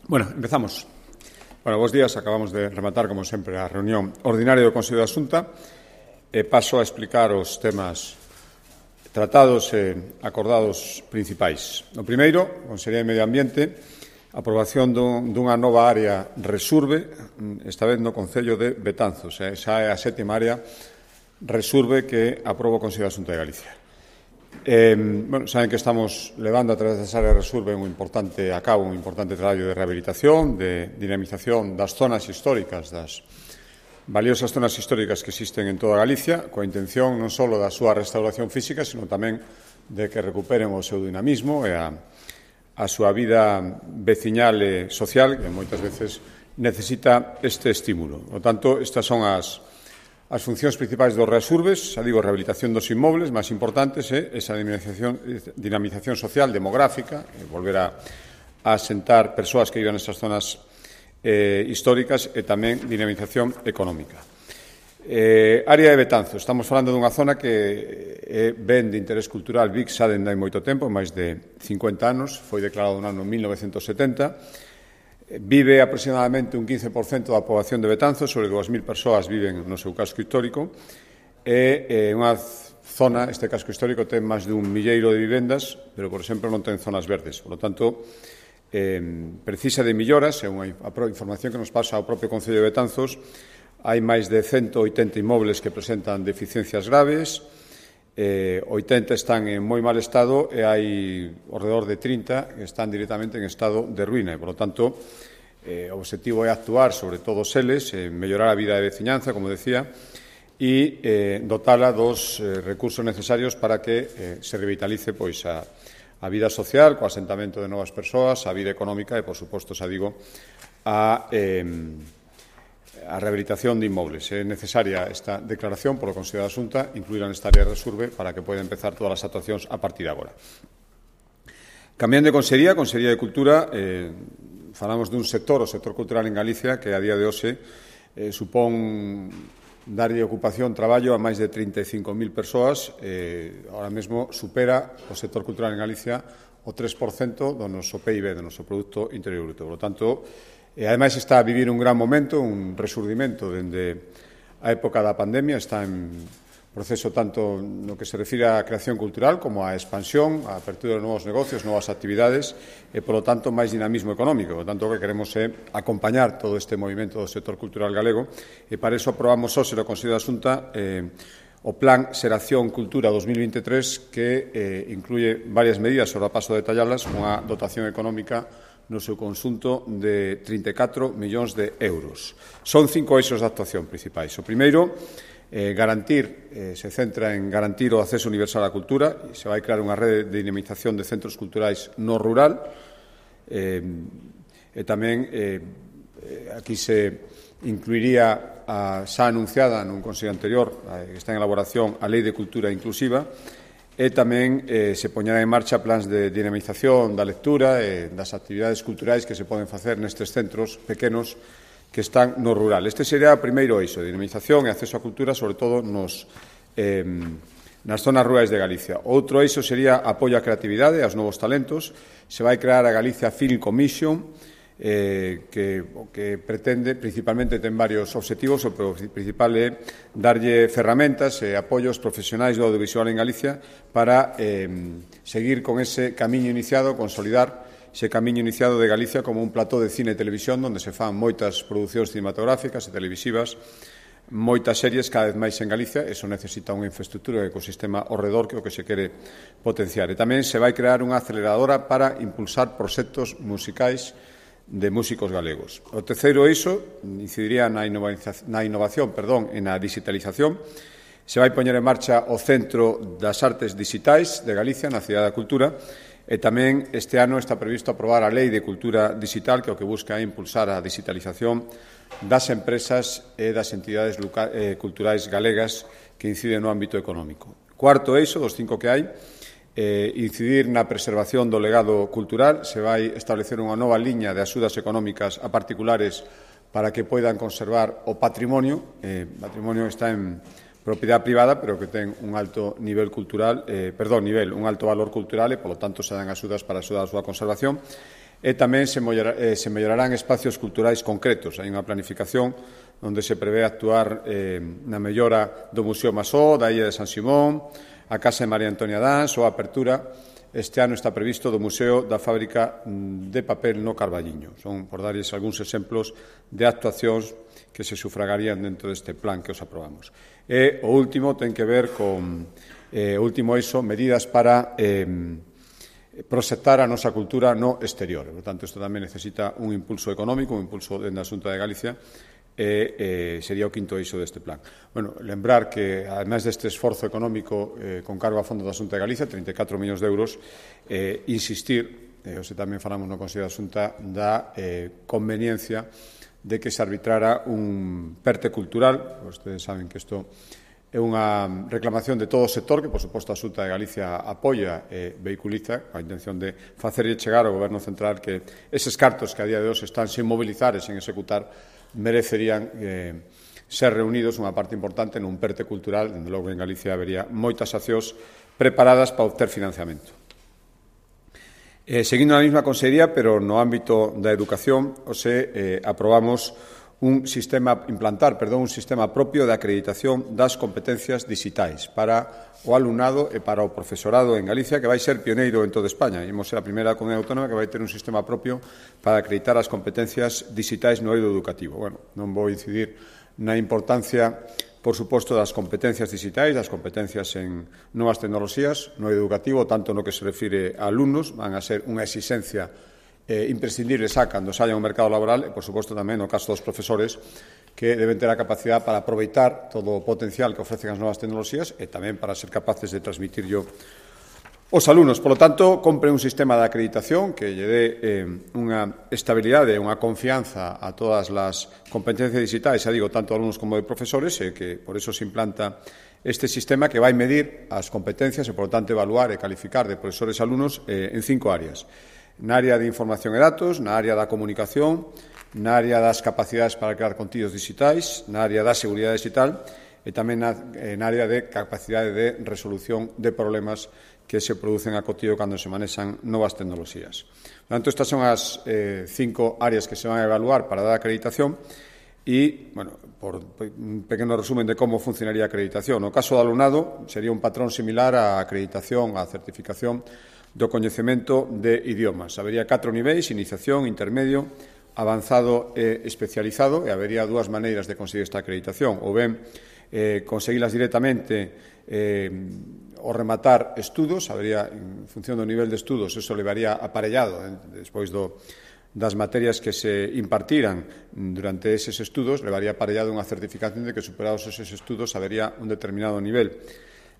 Bueno, empezamos. Bueno, bos días. Acabamos de rematar, como sempre, a reunión ordinaria do Consello da Xunta. Paso a explicar os temas tratados e acordados principais. O primeiro, Consellería de Medio Ambiente, aprobación dunha nova área Resurbe, esta vez no Concello de Betanzos. Esa é a sétima área Resurbe que aproba o Consello da Xunta de Galicia. Saben que estamos levando a través desa área Resurbe un importante traballo de rehabilitación, de dinamización das zonas históricas, das valiosas zonas históricas que existen en toda Galicia, coa intención non só da súa restauración física, sino tamén de que recuperen o seu dinamismo e a súa vida veciñal e social, que moitas veces necesita este estímulo. Por tanto, estas son as funcións principais dos Resurbes, rehabilitación dos inmobles máis importantes e esa dinamización social, demográfica, volver a asentar persoas que vivan nesas zonas históricas e tamén dinamización económica. Área de Betanzos. Estamos falando dunha zona que é ben de interés cultural, VIC, xa dende hai moito tempo, máis de 50 anos, foi declarado no ano 1970. Vive aproximadamente un 15% da poboación de Betanzos, sobre 2.000 persoas viven no seu casco histórico, e unha zona, este casco histórico, ten máis de 1 milleiro de vivendas, pero, por exemplo, non ten zonas verdes. Por lo tanto, precisa de melloras, é unha información que nos pasa ao propio Concello de Betanzos. Hai máis de 180 inmobles que presentan deficiencias graves, 80 están en moi mal estado e hai alrededor de 30 que están directamente en estado de ruína. Por lo tanto, o objetivo é actuar sobre todos eles, mellorar a vida de veciñanza, como decía, e dotala dos recursos necesarios para que se revitalice a vida social, co asentamento de novas persoas, a vida económica e, por suposto, a rehabilitación de inmobles. É necesaria esta declaración polo Consello da Xunta, incluída nesta área de Resurbe, para que poida empezar todas as actuacións a partir de agora. Cambiando de Consellería de Cultura, falamos dun sector, o sector cultural en Galicia, que a día de hoxe supón darlle ocupación, traballo a máis de 35.000 persoas. Ahora mesmo supera o sector cultural en Galicia o 3% do noso PIB, do noso Produto Interior Bruto. Por lo tanto, e ademais está a vivir un gran momento, un resurdimento dende a época da pandemia, está en proceso tanto no que se refire á creación cultural como á expansión, á apertura de novos negocios, novas actividades e, polo tanto, máis dinamismo económico. Por tanto, o que queremos é acompañar todo este movimento do sector cultural galego e para iso aprobamos hoxe no Consello da Xunta o Plan Xeración Cultura 2023 que incluye varias medidas, sobre a paso a detallalas, unha dotación económica no seu conxunto de 34 millóns de euros. Son 5 eixos de actuación principais. O primeiro, se centra en garantir o acceso universal á cultura. Se vai crear unha rede de dinamización de centros culturais no rural e tamén aquí se incluiría a xa anunciada nun Consello anterior, que está en elaboración, a Lei de Cultura Inclusiva, e tamén se poñerá en marcha plans de dinamización da lectura e das actividades culturais que se poden facer nestes centros pequenos que están no rural. Este sería o primeiro eixo, dinamización e acceso á cultura, sobre todo nas zonas rurais de Galicia. Outro eixo sería apoio á creatividade e aos novos talentos. Se vai crear a Galicia Film Commission, que pretende, principalmente ten varios obxectivos, o principal é darlle ferramentas e apoios profesionais do audiovisual en Galicia para seguir con ese camiño iniciado, consolidar ese camiño iniciado de Galicia como un plató de cine e televisión onde se fan moitas producións cinematográficas e televisivas, moitas series cada vez máis en Galicia. Eso necesita unha infraestructura e ecosistema ao redor que é o que se quere potenciar. E tamén se vai crear unha aceleradora para impulsar proxectos musicais de músicos galegos. O terceiro eixo incidiría na innovación e na digitalización. Se vai poñer en marcha o Centro das Artes Digitais de Galicia na Cidade da Cultura e tamén este ano está previsto aprobar a Lei de Cultura Digital, que o que busca é impulsar a digitalización das empresas e das entidades culturais galegas que inciden no ámbito económico. Cuarto eixo, dos 5 que hai, incidir na preservación do legado cultural. Se vai establecer unha nova liña de axudas económicas a particulares para que poidan conservar o patrimonio. O patrimonio está en propiedade privada, pero que ten un alto nivel cultural, un alto valor cultural e, polo tanto, se dan axudas para axudar a súa conservación. E tamén se mellorarán espacios culturais concretos. Hai unha planificación onde se prevé actuar na mellora do Museo Masó, da Illa de San Simón, a Casa de María Antonia Dans ou a apertura este ano está previsto do Museo da Fábrica de Papel no Carballiño. Son, por darlles algúns exemplos de actuacións que se sufragarían dentro deste plan que os aprobamos. E o último ten que ver con o último eixo, medidas para proxectar a nosa cultura no exterior. Por tanto, isto tamén necesita un impulso económico, un impulso dentro da Xunta de Galicia, e sería o quinto eixo deste plan. Bueno, lembrar que, ademais deste esforzo económico con cargo a fondo da Xunta de Galicia, 34 millóns de euros, insistir, se tamén falamos no Consello da Xunta, da conveniencia de que se arbitrara un PERTE cultural. Vostedes saben que isto é unha reclamación de todo o sector que, por suposto, a Xunta de Galicia apoia e vehiculiza a intención de facerlle chegar ao Goberno Central que eses cartos que a día de hoxe están sen mobilizar e sen executar merecerían ser reunidos unha parte importante nun PERTE cultural. Dende logo, en Galicia habería moitas accións preparadas para obter financiamento. Seguindo na mesma consellería, pero no ámbito da educación, aprobamos un sistema propio de acreditación das competencias digitais para o alumnado e para o profesorado en Galicia, que vai ser pioneiro en toda España. Imos ser a primeira comunidade autónoma que vai ter un sistema propio para acreditar as competencias digitais no eido educativo. Bueno, non vou incidir na importancia, por suposto, das competencias digitais, das competencias en novas tecnoloxías no eido educativo, tanto no que se refire a alumnos, van a ser unha exigencia imprescindible xa cando saia ao mercado laboral, e, por suposto, tamén no caso dos profesores, que deben ter a capacidade para aproveitar todo o potencial que ofrecen as novas tecnoloxías e tamén para ser capaces de transmitirlo aos alumnos. Por lo tanto, compre un sistema de acreditación que lle dé unha estabilidade, unha confianza a todas as competencias digitais, xa digo, tanto de alumnos como de profesores, e que por eso se implanta este sistema que vai medir as competencias e, por lo tanto, evaluar e calificar de profesores e alumnos en 5 áreas. Na área de información e datos, na área da comunicación, na área das capacidades para crear contidos digitais, na área da seguridade digital e tamén na área de capacidade de resolución de problemas que se producen a cotío cando se manexan novas tecnoloxías. Por tanto, estas son as 5 áreas que se van a evaluar para dar acreditación e, bueno, por un pequeno resumen de como funcionaría a acreditación. No caso do alumnado, sería un patrón similar á acreditación, á certificación do coñecemento de idiomas. Habería 4 niveis: iniciación, intermedio, avanzado e especializado, e habería 2 maneiras de conseguir esta acreditación: ou ben conseguilas directamente ao rematar estudos, habería, en función do nivel de estudos, eso levaría aparellado despois das materias que se impartiran durante eses estudos, levaría aparellado unha certificación de que, superados eses estudos, habería un determinado nivel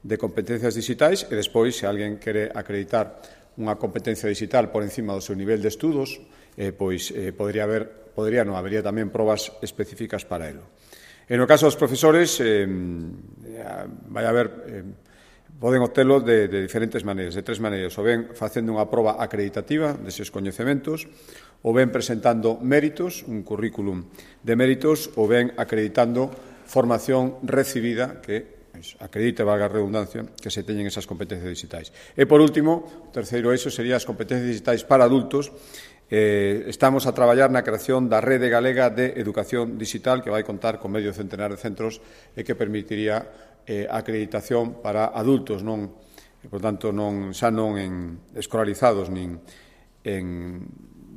de competencias digitais, e despois, se alguén quere acreditar unha competencia digital por encima do seu nivel de estudos, habería tamén probas específicas para elo. En o caso dos profesores, poden obtelo de diferentes maneiras, de 3 maneiras: ou ben facendo unha proba acreditativa deses coñecementos, ou ben presentando méritos, un currículum de méritos, ou ben acreditando formación recibida que acredite, valga a redundancia, que se teñen esas competencias digitais. E, por último, o terceiro eixo sería as competencias digitais para adultos. Estamos a traballar na creación da Rede Galega de Educación Digital, que vai contar con medio centenar de centros e que permitiría a acreditación para adultos, por tanto, xa non escolarizados nin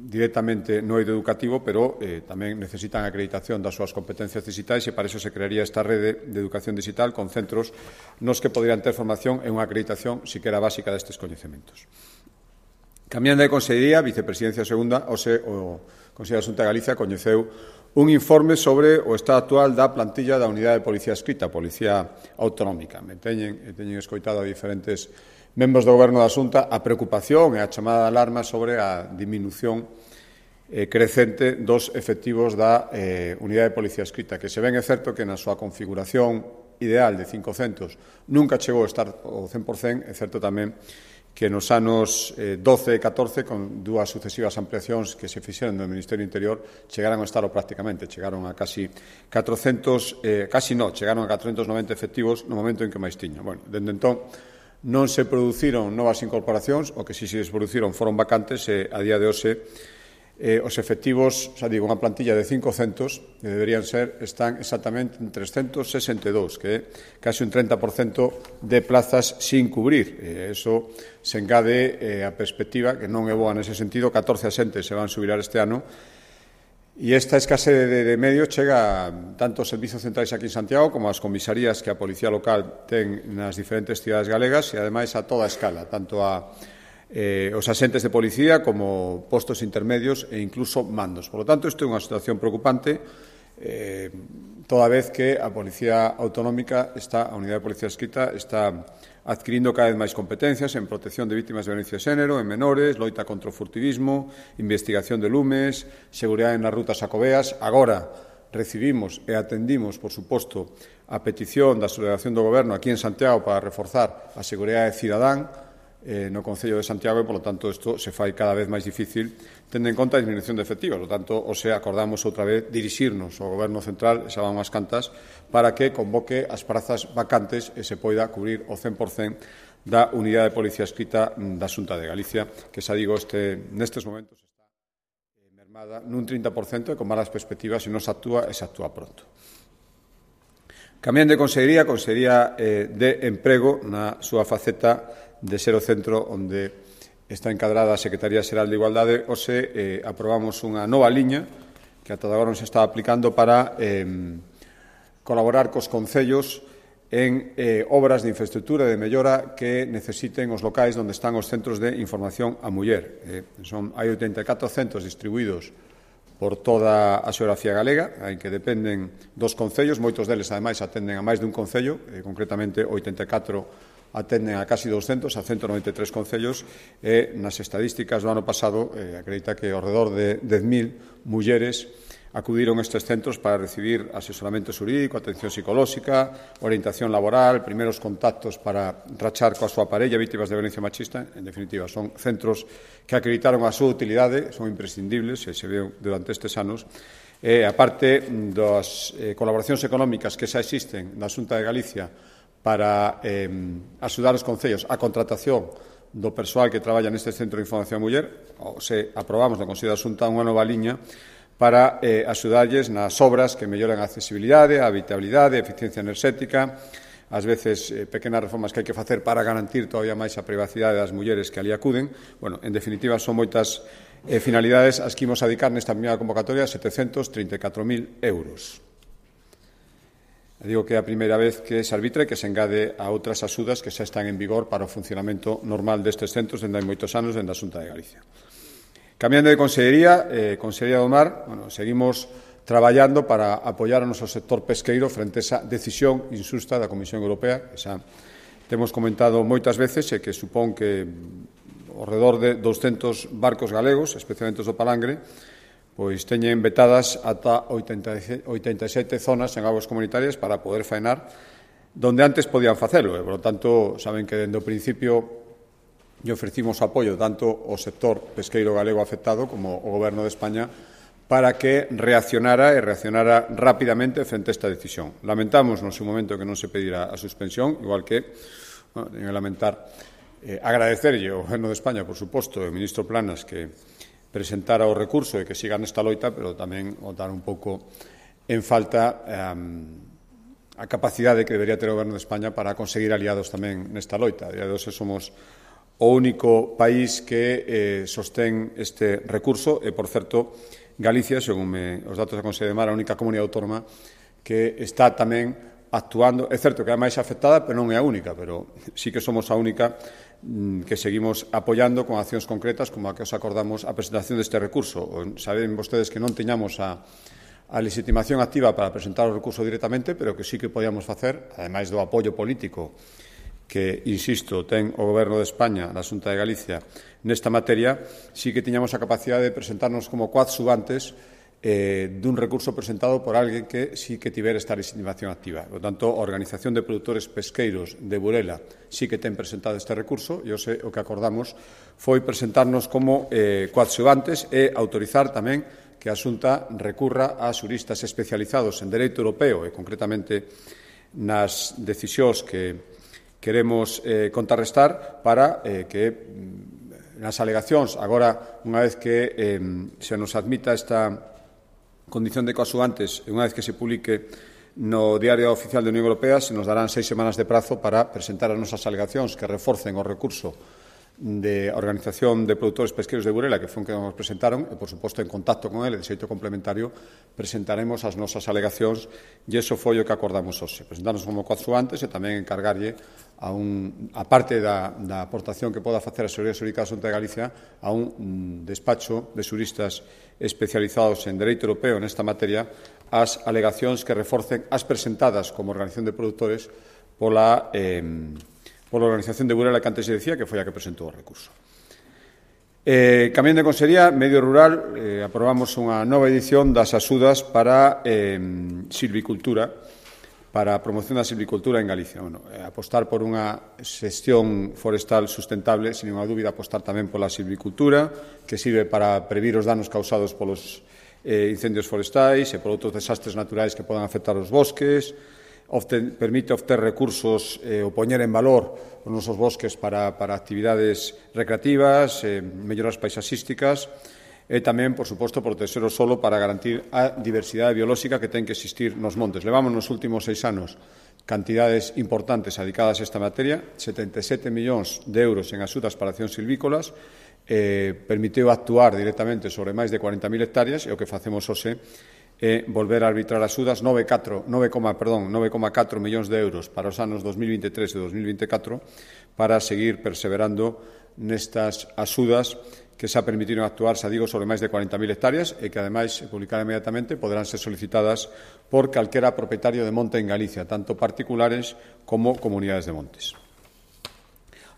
directamente no eido educativo, pero tamén necesitan acreditación das súas competencias digitais, e para iso se crearía esta rede de educación digital con centros nos que poderían ter formación e unha acreditación siquera básica destes coñecementos. Cambiando de consellería, Vicepresidencia Segunda, o Consello da Xunta de Galicia coñeceu un informe sobre o estado actual da plantilla da Unidade de Policía Adscrita, Policía Autonómica. Teñen escoitado a diferentes membros do Goberno da Xunta a preocupación e a chamada de alarma sobre a diminución crecente dos efectivos da Unidade de Policía Adscrita, que se ven, é certo que na súa configuración ideal de 500 nunca chegou a estar ao 100%, é certo tamén que nos anos 12 e 14, con 2 sucesivas ampliacións que se fixeron do Ministerio do Interior, chegaron a estar prácticamente, chegaron a casi 490 efectivos no momento en que máis tiña. Bueno, dende entón non se produciron novas incorporacións, o que si se produciron foron vacantes, e a día de hoxe os efectivos, xa digo, unha plantilla de 500 que deberían ser, están exactamente en 362, que é casi un 30% de plazas sin cubrir. Eso se engade a perspectiva, que non é boa nese sentido, 14 asentes se van a subirar este ano, e esta escasez de medios chega tanto aos servizos centrais aquí en Santiago como ás comisarías que a Policía Local ten nas diferentes cidades galegas e, ademais, a toda a escala, tanto os asentes de policía como postos intermedios e incluso mandos. Por lo tanto, isto é unha situación preocupante, toda vez que a Policía Autonómica, a Unidade de Policía Adscrita, está adquirindo cada vez máis competencias en protección de vítimas de violencia de xénero, en menores, loita contra o furtivismo, investigación de lumes, seguridade nas rutas xacobeas. Agora recibimos e atendimos, por suposto, a petición da subdelegación do Goberno aquí en Santiago para reforzar a seguridade cidadán no Concello de Santiago e, polo tanto, isto se fai cada vez máis difícil tendo en conta a disminución de efectivos. Por tanto, acordamos outra vez dirixirnos ao Goberno Central, xa van unhas cantas, para que convoque as prazas vacantes e se poida cubrir o 100% da Unidade de Policía Adscrita da Xunta de Galicia, que, xa digo, nestes momentos está mermada nun 30% e con malas perspectivas se non se actúa e se actúa pronto. Cambiando de Consellería de Emprego na súa faceta de ser o centro onde está encadrada a Secretaría Xeral de Igualdade, hoxe aprobamos unha nova liña que ata agora non se está aplicando para colaborar cos concellos en obras de infraestructura e de mellora que necesiten os locais onde están os centros de información á muller. Hai 84 centros distribuídos por toda a xeografía galega, en que dependen dos concellos, moitos deles, ademais, atenden a máis dun concello, concretamente 84 atenden a casi 200, a 193 concellos, e nas estadísticas do ano pasado acredita que ao redor de 10.000 mulleres acudiron a estes centros para recibir asesoramento xurídico, atención psicolóxica, orientación laboral, primeiros contactos para rachar coa súa parella vítimas de violencia machista. En definitiva, son centros que acreditaron a súa utilidade, son imprescindibles, e se veu durante estes anos. A parte das colaboracións económicas que xa existen na Xunta de Galicia para axudar os concellos a contratación do persoal que traballa neste Centro de Información a Muller, aprobamos na Consello da Xunta unha nova liña para axudarlles nas obras que melloran a accesibilidade, a habitabilidade, a eficiencia enerxética, ás veces pequenas reformas que hai que facer para garantir todavía máis a privacidade das mulleres que ali acuden. Bueno, en definitiva, son moitas finalidades as que imos adicar nesta primeira convocatoria, 734.000 euros. Digo que é a primeira vez que se arbitra e que se engade a outras axudas que xa están en vigor para o funcionamento normal destes centros dende hai moitos anos dende a Xunta de Galicia. Cambiando de Consellería, Consellería do Mar, seguimos traballando para apoiar o noso sector pesqueiro frente a esa decisión injusta da Comisión Europea, que xa temos comentado moitas veces e que supón que ao redor de 200 barcos galegos, especialmente os do palangre, pois teñen vetadas ata 87 zonas en aguas comunitarias para poder faenar donde antes podían facelo. Por lo tanto, saben que dende o principio lle ofrecimos apoio tanto ao sector pesqueiro galego afectado como ao Goberno de España para que reaccionara rapidamente frente a esta decisión. Lamentamos no seu momento que non se pedira a suspensión, igual que, en lamentar, agradecerlle ao Goberno de España, por suposto, e ao ministro Planas que presentara o recurso e que siga nesta loita, pero tamén botar un pouco en falta a capacidade que debería ter o Goberno de España para conseguir aliados tamén nesta loita. A día de hoxe somos o único país que sostén este recurso e, por certo, Galicia, según os datos da Consellería de Mar, a única comunidade autónoma que está tamén actuando. É certo que é a máis afectada, pero non é a única, pero sí que somos a única que seguimos apoiando con accións concretas como a que os acordamos a presentación deste recurso. Saben vostedes que non teñamos a legitimación activa para presentar o recurso directamente, pero que sí que podíamos facer, ademais do apoio político que, insisto, ten o Goberno de España na Xunta de Galicia nesta materia, sí que tiñamos a capacidade de presentarnos como coadxuvantes dun recurso presentado por alguén que sí que tivera esta legitimación activa. Por tanto, a Organización de Produtores Pesqueiros de Burela sí que ten presentado este recurso e o que acordamos foi presentarnos como coadxuvantes e autorizar tamén que a Xunta recurra a xuristas especializados en dereito europeo e, concretamente, nas decisións que queremos contrarrestar para que nas alegacións, agora, unha vez que se nos admita esta condición de coaxuvantes, unha vez que se publique no Diario Oficial da Unión Europea, se nos darán 6 semanas de prazo para presentar as nosas alegacións que reforcen o recurso de Organización de Produtores Pesqueiros de Burela, que foi que nos presentaron, e, por suposto, en contacto con ele, de xeito complementario, presentaremos as nosas alegacións, e iso foi o que acordamos hoxe. Presentarnos como coaxuantes e tamén encargarlle a parte da aportación que poda facer a Seguridade Xurídica da Xunta de Galicia a un despacho de xuristas especializados en dereito europeo nesta materia as alegacións que reforcen as presentadas como Organización de Produtores pola Organización de Burela que antes se decía, que foi a que presentou o recurso. Cambiando de Consellería, Medio Rural, aprobamos unha nova edición das axudas para silvicultura, para a promoción da silvicultura en Galicia. Apostar por unha xestión forestal sustentable, sin unha dúbida, apostar tamén pola silvicultura, que sirve para previr os danos causados polos incendios forestais e por outros desastres naturais que podan afectar os bosques, permite obter recursos ou poñer en valor os nosos bosques para actividades recreativas, melloras paisaxísticas e tamén, por suposto, protexer o solo para garantir a diversidade biolóxica que ten que existir nos montes. Levamos nos últimos 6 anos cantidades importantes dedicadas a esta materia, 77 millóns de euros en axudas para accións silvícolas, permitiu actuar directamente sobre máis de 40.000 hectáreas e o que facemos hoxe é volver a arbitrar axudas 9,4 millóns de euros para os anos 2023 e 2024 para seguir perseverando nestas axudas que xa permitiron actuar, xa digo, sobre máis de 40.000 hectáreas e que, ademais, se publicarán inmediatamente, poderán ser solicitadas por calquera propietario de monte en Galicia, tanto particulares como comunidades de montes.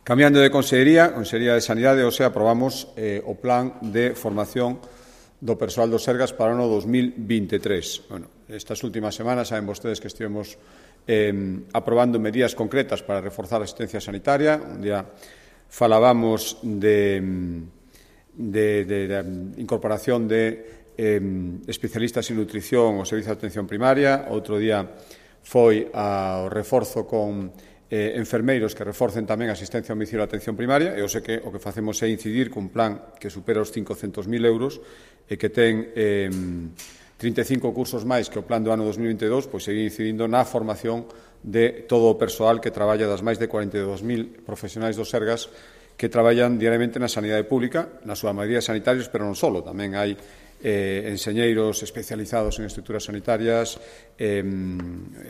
Cambiando de Consellería, Consellería de Sanidade, aprobamos o plan de formación do persoal do Sergas para o ano 2023. Estas últimas semanas saben vostedes que estivemos aprobando medidas concretas para reforzar a asistencia sanitaria. Un día falábamos de incorporación de especialistas en nutrición ao servicio de atención primaria. Outro día foi ao reforzo con enfermeiros que reforcen tamén a asistencia ao domicilio de atención primaria, e eu sei que o que facemos é incidir cun plan que supera os 500.000 euros e que ten 35 cursos máis que o plan do ano 2022, pois seguir incidindo na formación de todo o persoal que traballa das máis de 42.000 profesionais do Sergas que traballan diariamente na sanidade pública, na súa maioría sanitarios, pero non só, tamén hai enxeñeiros especializados en estruturas sanitarias,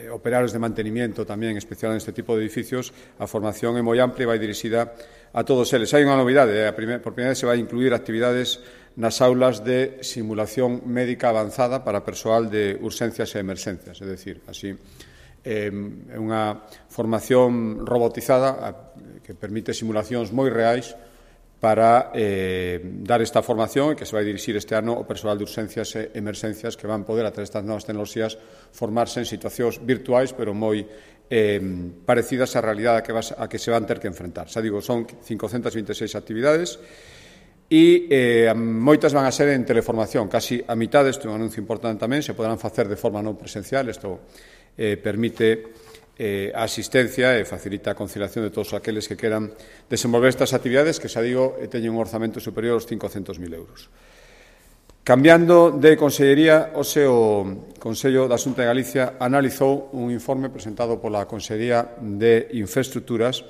operarios de mantenimiento tamén especial en este tipo de edificios. A formación é moi amplia e vai dirixida a todos eles. Hai unha novidade, por primeira vez se vai incluir actividades nas aulas de simulación médica avanzada para persoal de urxencias e emerxencias, é dicir, así é unha formación robotizada que permite simulacións moi reais para dar esta formación e que se vai dirixir este ano ao persoal de urxencias e emerxencias que van poder, a través destas novas tecnoloxías, formarse en situacións virtuais, pero moi parecidas á realidade a que se van ter que enfrentar. Xa digo, son 526 actividades e moitas van a ser en teleformación. Casi a mitad, isto é un anuncio importante tamén, se poderán facer de forma non presencial. Isto permite a asistencia e facilita a conciliación de todos aqueles que queran desenvolver estas actividades que, xa digo, teñen un orzamento superior aos 500.000 euros. Cambiando de Consellería, hoxe o Consello da Xunta de Galicia analizou un informe presentado pola Consellería de Infraestructuras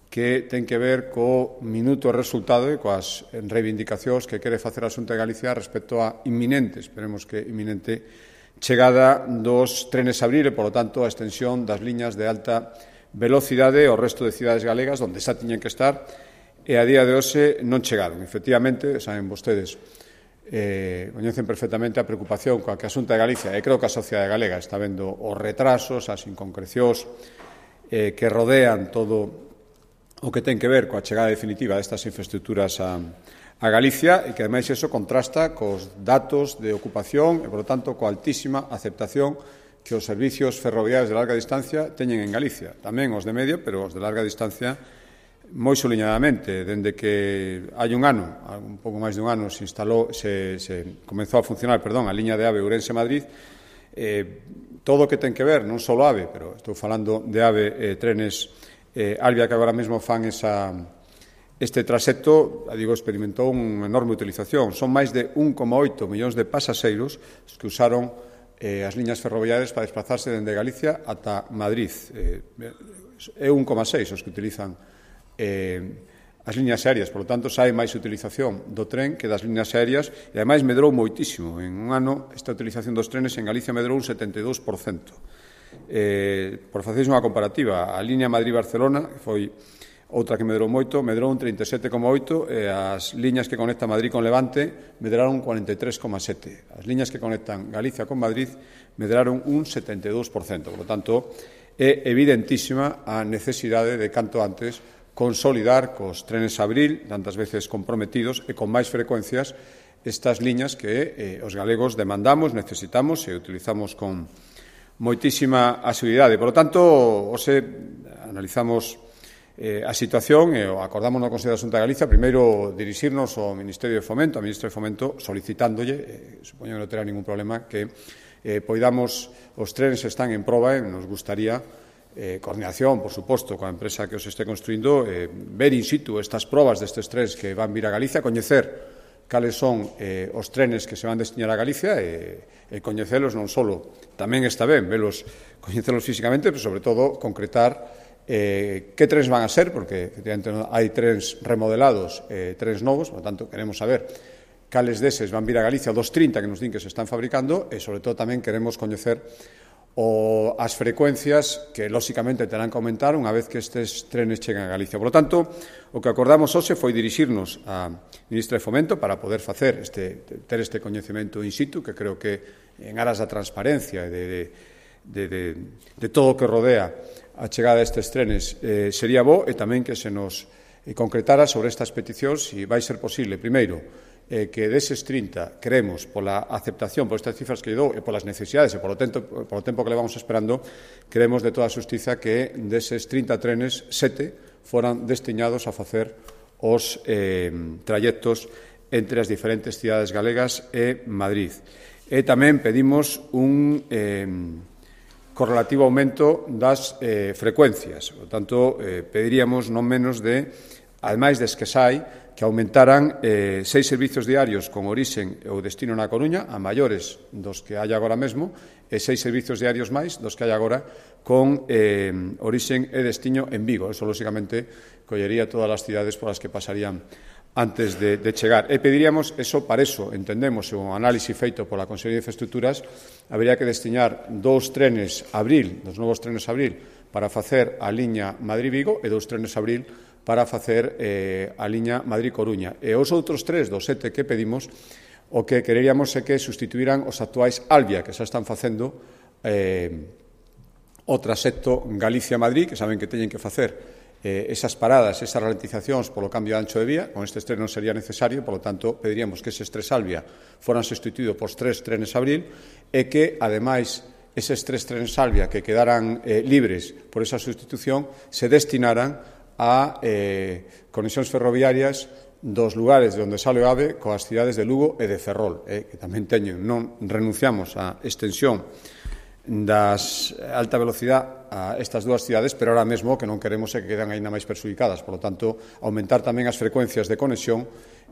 que ten que ver co minuto resultado e coas reivindicacións que quere facer a Xunta de Galicia respecto a inminente, esperemos que inminente, chegada dos trenes Abril e, polo tanto, a extensión das liñas de alta velocidade ao resto de cidades galegas onde xa tiñen que estar e a día de hoxe non chegaron. Efectivamente, saben vostedes, coñecen perfectamente a preocupación coa que a Xunta de Galicia e creo que a sociedade galega está vendo os retrasos, as inconcrecións que rodean todo o que ten que ver coa chegada definitiva destas infraestructuras a Galicia e que, ademais, iso contrasta cos datos de ocupación e, por lo tanto, coa altísima aceptación que os servicios ferroviarios de larga distancia teñen en Galicia. Tamén os de media, pero os de larga distancia moi soliñadamente. Dende que hai un ano, un pouco máis de un ano, se comezou a funcionar a liña de AVE Ourense-Madrid, todo o que ten que ver, non só AVE, pero estou falando de AVE trenes Albia, que agora mesmo fan esa Este traxecto, digo, experimentou unha enorme utilización. Son máis de 1,8 millóns de pasaxeiros os que usaron as liñas ferroviarias para desplazarse dende Galicia ata Madrid. É 1,6 os que utilizan as liñas aéreas, por lo tanto, sai máis utilización do tren que das liñas aéreas e, ademais, medrou moitísimo. En un ano, esta utilización dos trenes en Galicia medrou un 72%. Por faceres unha comparativa, a liña Madrid-Barcelona, que foi outra que medrou moito, medrou un 37,8%, e as liñas que conectan Madrid con Levante medraron un 43,7%. As liñas que conectan Galicia con Madrid medraron un 72%. Por lo tanto, é evidentísima a necesidade de, canto antes, consolidar cos trenes Abril, tantas veces comprometidos, e con máis frecuencias estas liñas que os galegos demandamos, necesitamos e utilizamos con moitísima asiduidade. Por lo tanto, hoxe analizamos a situación e acordamos no Consello da Xunta de Galicia primeiro dirixirnos ao Ministerio de Fomento, ao Ministro de Fomento, solicitándolle, supoño que non terá ningún problema, que poidamos, os trenes están en proba e nos gustaría coordinación, por suposto, coa empresa que os este construindo, ver in situ estas probas destes trenes que van vir a Galicia, coñecer cales son os trenes que se van destinar a Galicia e coñecelos non só, tamén está ben coñecelos físicamente, pero sobre todo concretar que trens van a ser, porque efectivamente hai trens remodelados e trens novos, por lo tanto queremos saber cales deses van vir a Galicia, dos 30 que nos din que se están fabricando, e sobre todo tamén queremos coñecer as frecuencias que lóxicamente terán que aumentar unha vez que estes trenes cheguen a Galicia. Por lo tanto, o que acordamos hoxe foi dirixirnos á Ministra de Fomento para poder facer ter este coñecemento in situ, que creo que en aras da transparencia e de todo o que rodea a chegada destes trenes sería bo, e tamén que se nos concretara sobre estas peticións se vai ser posible, primeiro, que deses 30 queremos, pola aceptación, por estas cifras que lle dou e polas necesidades e polo tempo que levamos esperando, queremos de toda a xustiza que deses 30 trenes, 7 foran destinados a facer os trayectos entre as diferentes cidades galegas e Madrid. E tamén pedimos un correlativo aumento das frecuencias. Por tanto, pediríamos non menos de, ademais des que sai, que aumentaran 6 servizos diarios con orixen ou destino na Coruña, a maiores dos que hai agora mesmo, e 6 servizos diarios máis dos que hai agora con orixen e destino en Vigo. Eso, lóxicamente, collería todas as cidades polas que pasarían antes de chegar. E pediríamos, para eso, entendemos, o análisis feito pola Consellería de Infraestructuras, habría que destinar 2 trenes Abril, 2 novos trenes Abril, para facer a liña Madrid-Vigo e 2 trenes Abril para facer a liña Madrid-Coruña. E os outros 3 dos 7 que pedimos, o que quereríamos é que sustituíran os actuais Albia, que xa están facendo o traxecto Galicia-Madrid, que saben que teñen que facer esas paradas, esas ralentizacións polo cambio de ancho de vía. Con estes trenes non sería necesario, por lo tanto, pediríamos que eses 3 Albia foran sustituídos por 3 trenes Abril e que, ademais, eses 3 trenes Albia que quedaran libres por esa sustitución se destinaran a conexións ferroviarias dos lugares de onde sale o AVE coas cidades de Lugo e de Ferrol, que tamén teñen. Non renunciamos á extensión das alta velocidade a estas dúas cidades, pero ahora mesmo que non queremos é que quedan aínda máis perxudicadas. Por lo tanto, aumentar tamén as frecuencias de conexión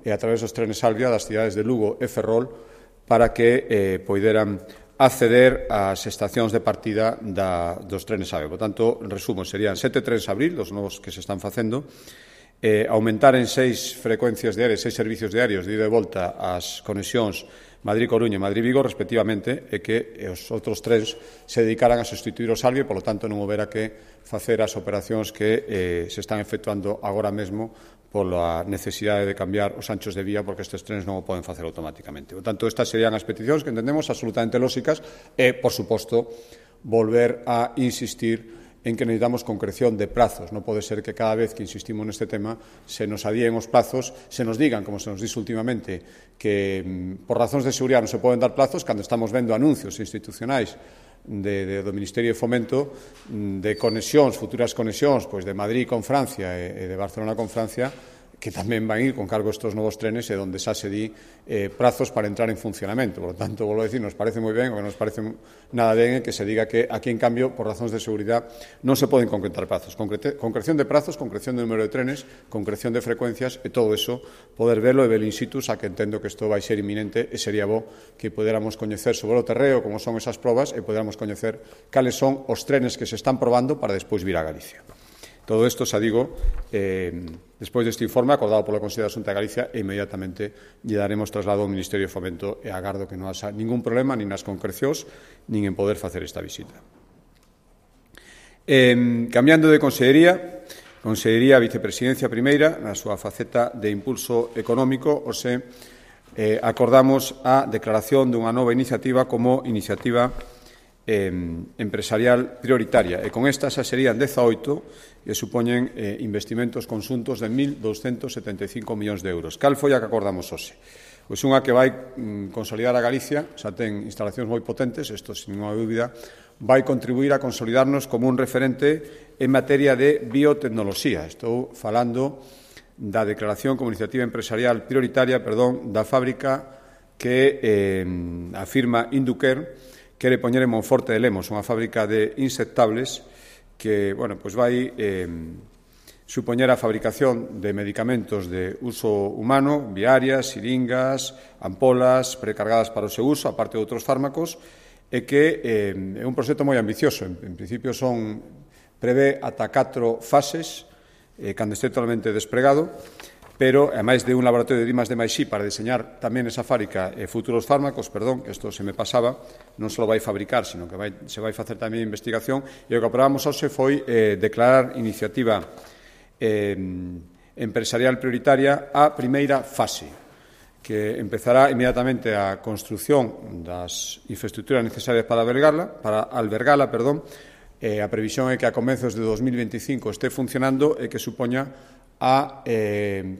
a través dos trenes Albia das cidades de Lugo e Ferrol para que poideran acceder ás estacións de partida dos trenes AVE. Por tanto, en resumo, serían 7 trenes Abril, dos novos que se están facendo, aumentar en 6 frecuencias diarias, 6 servicios diarios de ida e volta as conexións Madrid-Coruña e Madrid-Vigo, respectivamente, e que os outros trens se dedicaran a sustituir os Albia e, polo tanto, non houbera que facer as operacións que se están efectuando agora mesmo pola necesidade de cambiar os anchos de vía, porque estes trenes non o poden facer automáticamente. Por tanto, estas serían as peticións que entendemos absolutamente lóxicas e, por suposto, volver a insistir en que necesitamos concreción de prazos. Non pode ser que cada vez que insistimos neste tema se nos adíen os plazos, se nos digan, como se nos dixe últimamente, que por razóns de seguridade non se poden dar plazos, cando estamos vendo anuncios institucionais do Ministerio de Fomento de conexións, futuras conexións, pois de Madrid con Francia e de Barcelona con Francia, que tamén van ir con cargo estes novos trenes e onde xa se di prazos para entrar en funcionamento. Por lo tanto, volvo a decir, nos parece moi ben, o que nos parece nada ben é que se diga que aquí, en cambio, por razóns de seguridade, non se poden concretar prazos. Concreción de prazos, concreción de número de trenes, concreción de frecuencias e todo eso, poder verlo e verlo in situ, xa que entendo que isto vai ser inminente e sería bo que poderamos coñecer sobre o terreo como son esas probas e poderamos coñecer cales son os trenes que se están probando para despois vir a Galicia. Todo isto, xa digo, despois deste informe acordado pola Consellería da Xunta de Galicia e inmediatamente lle daremos traslado ao Ministerio de Fomento e agardo que non haxa ningún problema nin nas concrecións nin en poder facer esta visita. Cambiando de Consellería, Vicepresidencia Primeira, na súa faceta de impulso económico, acordamos a declaración dunha nova iniciativa como iniciativa empresarial prioritaria e con esta xa serían 18 e supoñen investimentos conxuntos de 1.275 millóns de euros. Cal foi a que acordamos hoxe? Pois unha que vai consolidar a Galicia, xa ten instalacións moi potentes, isto sin ninguna dúbida, vai contribuir a consolidarnos como un referente en materia de biotecnoloxía. Estou falando da declaración como iniciativa empresarial prioritaria, da fábrica que a firma Inducare quere poñer en Monforte de Lemos, unha fábrica de insectables que vai supoñer a fabricación de medicamentos de uso humano, viarias, siringas, ampolas precargadas para o seu uso, aparte de outros fármacos, e que é un proxecto moi ambicioso. En principio prevé ata 4 fases, cando este totalmente desplegado, pero, ademais de un laboratorio de I+D+I para diseñar tamén esa fábrica futuros fármacos, que isto se me pasaba, non só vai fabricar, sino que se vai facer tamén investigación, e o que aprobamos hoxe foi declarar iniciativa empresarial prioritaria a primeira fase, que empezará inmediatamente a construción das infraestructuras necesarias para albergala, a previsión é que a comezos de 2025 este funcionando e que supoña a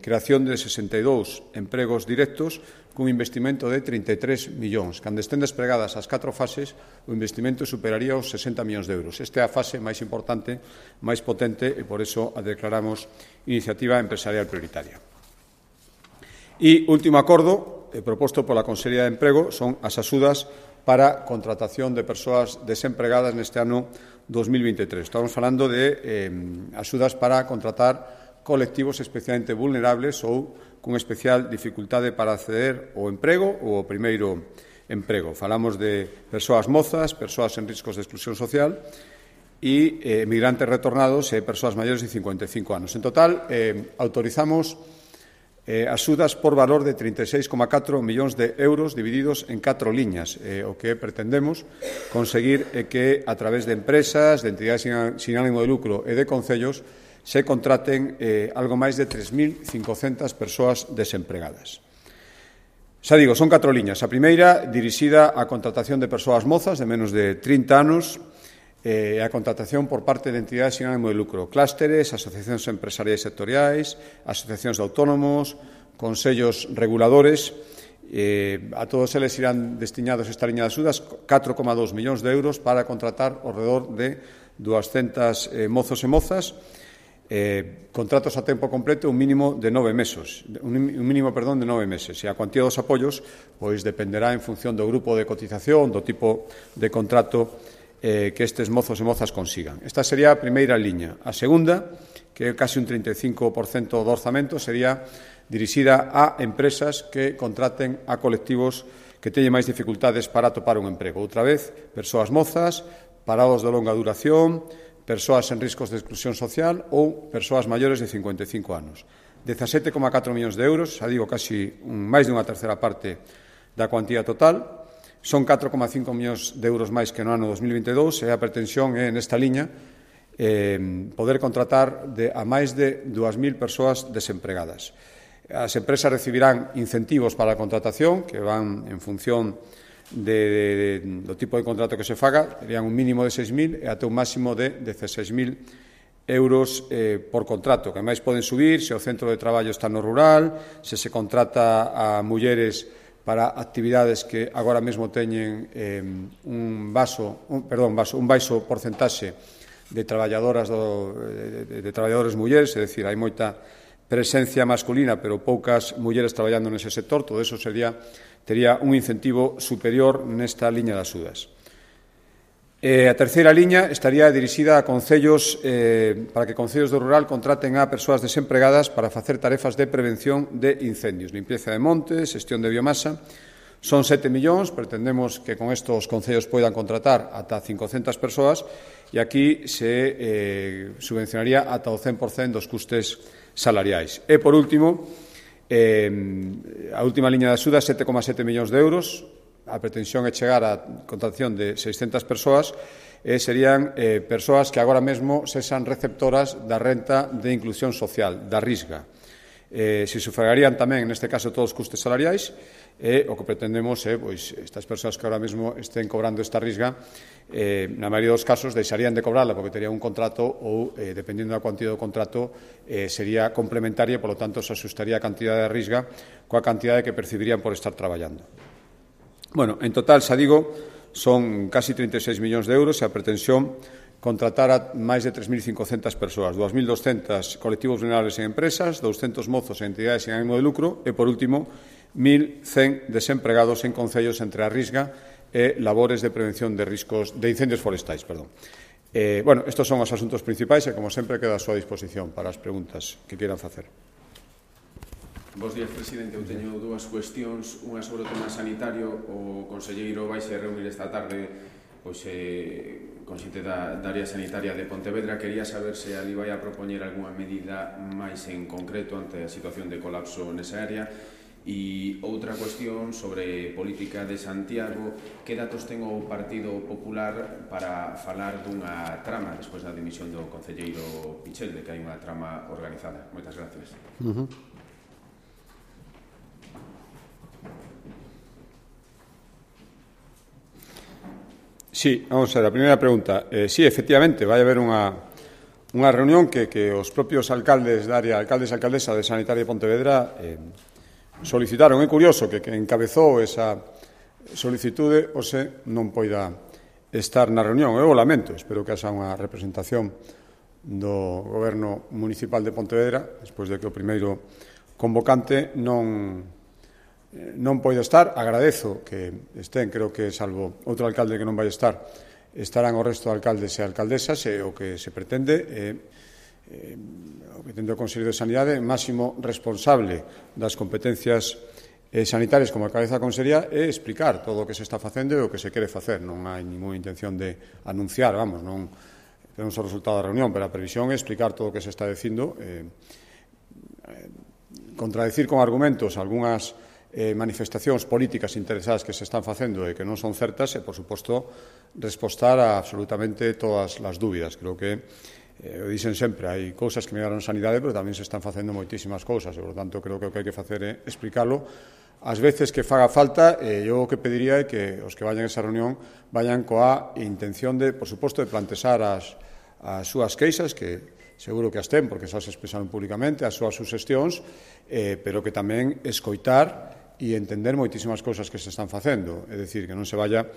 creación de 62 empregos directos cun investimento de 33 millóns. Cando estén despregadas as 4 fases, o investimento superaría os 60 millóns de euros. Esta é a fase máis importante, máis potente, e por iso a declaramos iniciativa empresarial prioritaria. E último acordo proposto pola Consellería de Emprego son as axudas para contratación de persoas desempregadas neste ano 2023. Estamos falando de axudas para contratar colectivos especialmente vulnerables ou con especial dificultade para acceder ao emprego ou ao primeiro emprego. Falamos de persoas mozas, persoas en riscos de exclusión social e emigrantes retornados e persoas maiores de 55 anos. En total, autorizamos axudas por valor de 36,4 millóns de euros divididos en 4 liñas. O que pretendemos conseguir é que, a través de empresas, de entidades sin ánimo de lucro e de concellos, se contraten algo máis de 3.500 persoas desempregadas. Xa digo, son 4 liñas. A primeira, dirixida á contratación de persoas mozas de menos de 30 anos e a contratación por parte de entidades sin ánimo de lucro, clústeres, asociacións empresariais sectoriais, asociacións de autónomos, consellos reguladores. A todos eles irán destinados esta liña de axudas 4,2 millóns de euros para contratar ao redor de 200 mozos e mozas, contratos a tempo completo, un mínimo de 9 meses, de 9 meses, e a cuantía dos apoios pois dependerá en función do grupo de cotización, do tipo de contrato que estes mozos e mozas consigan. Esta sería a primeira liña. A segunda, que é casi un 35% do orzamento, sería dirixida a empresas que contraten a colectivos que teñen máis dificultades para atopar un emprego. Outra vez, persoas mozas, parados de longa duración, persoas en riscos de exclusión social ou persoas maiores de 55 anos. 17,4 millóns de euros, xa digo, casi máis de unha terceira parte da cuantía total. Son 4,5 millóns de euros máis que no ano 2022 e a pretensión é, nesta liña, poder contratar a máis de 2.000 persoas desempregadas. As empresas recibirán incentivos para a contratación que van en función do tipo de contrato que se faga, serían un mínimo de 6.000 e até un máximo de 16.000 euros por contrato, que máis poden subir se o centro de traballo está no rural, se contrata a mulleres para actividades que agora mesmo teñen un baixo porcentaxe de traballadores mulleres, é dicir, hai moita presencia masculina, pero poucas mulleres traballando nese sector, todo eso tería un incentivo superior nesta liña das axudas. A terceira liña estaría dirixida a concellos para que concellos do rural contraten a persoas desempregadas para facer tarefas de prevención de incendios, limpieza de montes, xestión de biomasa. Son 7 millóns, pretendemos que con estos concellos poidan contratar ata 500 persoas e aquí se subvencionaría ata o 100% dos custes salariais. E, por último, a última liña de axuda, 7,7 millóns de euros. A pretensión é chegar á contratación de 600 persoas e serían persoas que agora mesmo sexan receptoras da renta de inclusión social, da Risga. Se sufragarían tamén, neste caso, todos os custes salariais e o que pretendemos é, pois, estas persoas que agora mesmo estén cobrando esta Risga, na maioría dos casos, deixarían de cobrarla porque terían un contrato ou, dependendo da cuantía do contrato, sería complementaria e, polo tanto, se asustaría a cantidade de Risga coa cantidade que percibirían por estar traballando. Bueno, en total, xa digo, son casi 36 millóns de euros e a pretensión contratar a máis de 3.500 persoas, 2.200 colectivos vulnerables en empresas, 200 mozos e entidades en ánimo de lucro e, por último, 1.100 desempregados en concellos entre a Risga e labores de prevención de riscos de incendios forestais. Bueno, estes son os asuntos principais e, como sempre, queda a súa disposición para as preguntas que queiran facer. Bos días, presidente. Eu teño dúas cuestións. Unha sobre o tema sanitario. O conselleiro vai se reunir esta tarde con xente da área sanitaria de Pontevedra. Quería saber se ali vai a propoñer algunha medida máis en concreto ante a situación de colapso nesa área. E outra cuestión sobre política de Santiago. Que datos ten o Partido Popular para falar dunha trama despois da dimisión do concelleiro Pichel, de que hai unha trama organizada? Moitas gracias. Sí, vamos a ver, a primeira pregunta. Sí, efectivamente, vai haber unha reunión que os propios alcaldes da área, alcaldes e alcaldesa de Sanitaria de Pontevedra solicitaron. É curioso que encabezou esa solicitude hoxe non poida estar na reunión. Eu o lamento, espero que haxa unha representación do Goberno Municipal de Pontevedra, despois de que o primeiro convocante non poida estar. Agradezo que estén, creo que salvo outro alcalde que non vai estar, estarán o resto de alcaldes e alcaldesas e o que se pretende o que tende o Consello de Sanidade, máximo responsable das competencias sanitarias como a cabeza da Consellería, é explicar todo o que se está facendo e o que se quere facer. Non hai ninguna intención de anunciar, non temos o resultado da reunión, pero a previsión é explicar todo o que se está dicindo, contradecir con argumentos algunhas manifestacións políticas interesadas que se están facendo e que non son certas e, por suposto, respostar a absolutamente todas as dúbidas. Creo que, o dicen sempre, hai cousas que melloran a sanidade, pero tamén se están facendo moitísimas cousas e, por lo tanto, creo que o que hai que facer é explicalo as veces que faga falta. Eu o que pediría é que os que vayan a esa reunión vayan coa intención de, por suposto, de plantexar as súas queixas, que seguro que as ten, porque xa se expresaron públicamente, as súas suxestións, pero que tamén escoitar e entender moitísimas cousas que se están facendo. É dicir, que non se vaya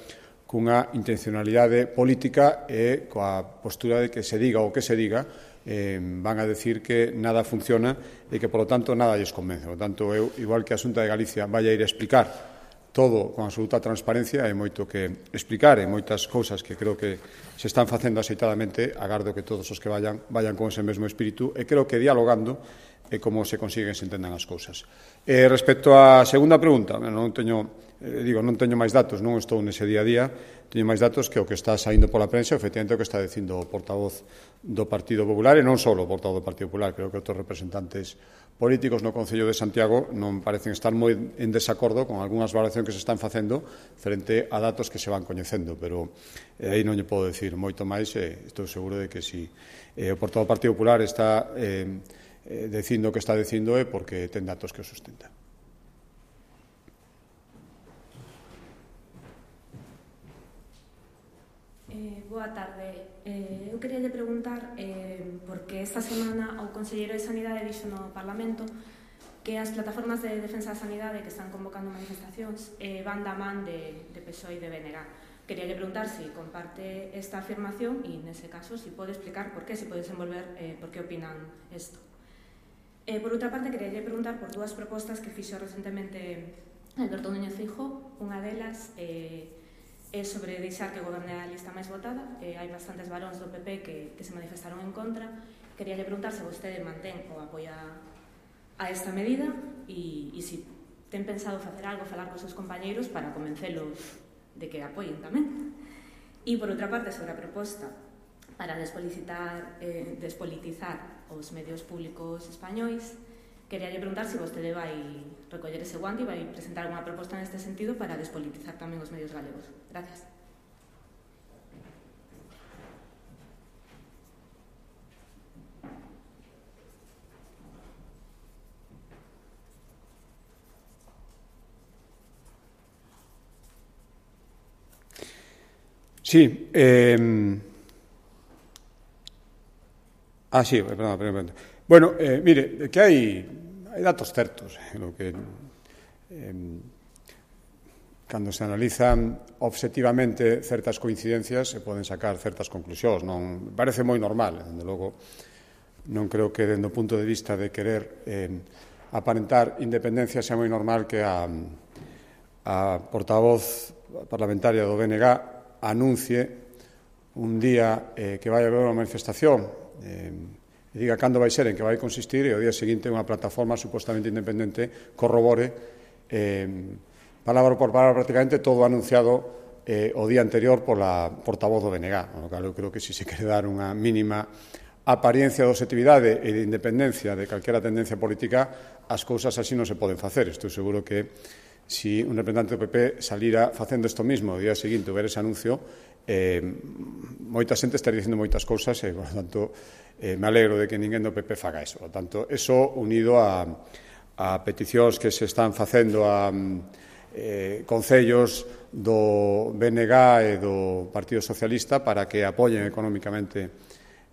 cunha intencionalidade política e coa postura de que se diga o que se diga, van a decir que nada funciona e que, por lo tanto, nada lles convence. Por lo tanto, eu, igual que a Xunta de Galicia vai a ir a explicar todo con absoluta transparencia, hai moito que explicar e moitas cousas que creo que se están facendo axeitadamente. Agardo que todos os que vayan con ese mesmo espírito e creo que dialogando é como se consigue que se entendan as cousas. Respecto á segunda pregunta, non teño máis datos, non estou nese día a día, teño máis datos que o que está saindo pola prensa, efectivamente o que está dicindo o portavoz do Partido Popular, e non só o portavoz do Partido Popular, creo que outros representantes políticos no Concello de Santiago non parecen estar moi en desacordo con algunhas valoracións que se están facendo frente a datos que se van coñecendo, pero aí non lle podo decir moito máis. Estou seguro de que si o portavoz do Partido Popular está dicindo o que está dicindo é porque ten datos que o sustentan. Boa tarde. Eu queria lle preguntar porque esta semana o conselleiro de Sanidade dixo no Parlamento que as plataformas de defensa da sanidade que están convocando manifestacións van da man de PSOE e de BNG. Queria lle preguntar se comparte esta afirmación e, nese caso, se pode explicar por qué, se pode desenvolver por que opinan isto. Por outra parte, quería preguntar por dúas propostas que fixo recentemente Alberto Núñez Feijóo. Unha delas é sobre deixar que goberne a lista máis votada. Hai bastantes varóns do PP que se manifestaron en contra. Quería preguntar se vostede mantén ou apoia a esta medida e se ten pensado facer algo, falar cos seus compañeiros para convencelos de que apoien tamén. E, por outra parte, sobre a proposta para despolitizar os medios públicos españois, quería preguntar se vostede vai recoller ese guante e vai presentar unha proposta neste sentido para despolitizar tamén os medios galegos. Gracias. Sí, sí, perdón. Bueno, mire, que hai datos certos no que cando se analizan obxectivamente certas coincidencias se poden sacar certas conclusións. Non parece moi normal, dende logo non creo que dende o punto de vista de querer aparentar independencia sea moi normal que a portavoz parlamentaria do BNG anuncie un día que vai haber unha manifestación e diga cando vai ser, en que vai consistir, e ao día seguinte unha plataforma supostamente independente corrobore palabra por palabra prácticamente todo anunciado o día anterior pola portavoz do BNG, no cal eu creo que se quere dar unha mínima apariencia de objetividade e de independencia de calquera tendencia política, as cousas así non se poden facer. Estou seguro que si un representante do PP salira facendo isto mismo o día seguinte ver ese anuncio, moita xente estaría dicindo moitas cousas e, por tanto, me alegro de que ninguén do PP faga eso. Por tanto, eso unido a peticións que se están facendo a concellos do BNG e do Partido Socialista para que apoyen económicamente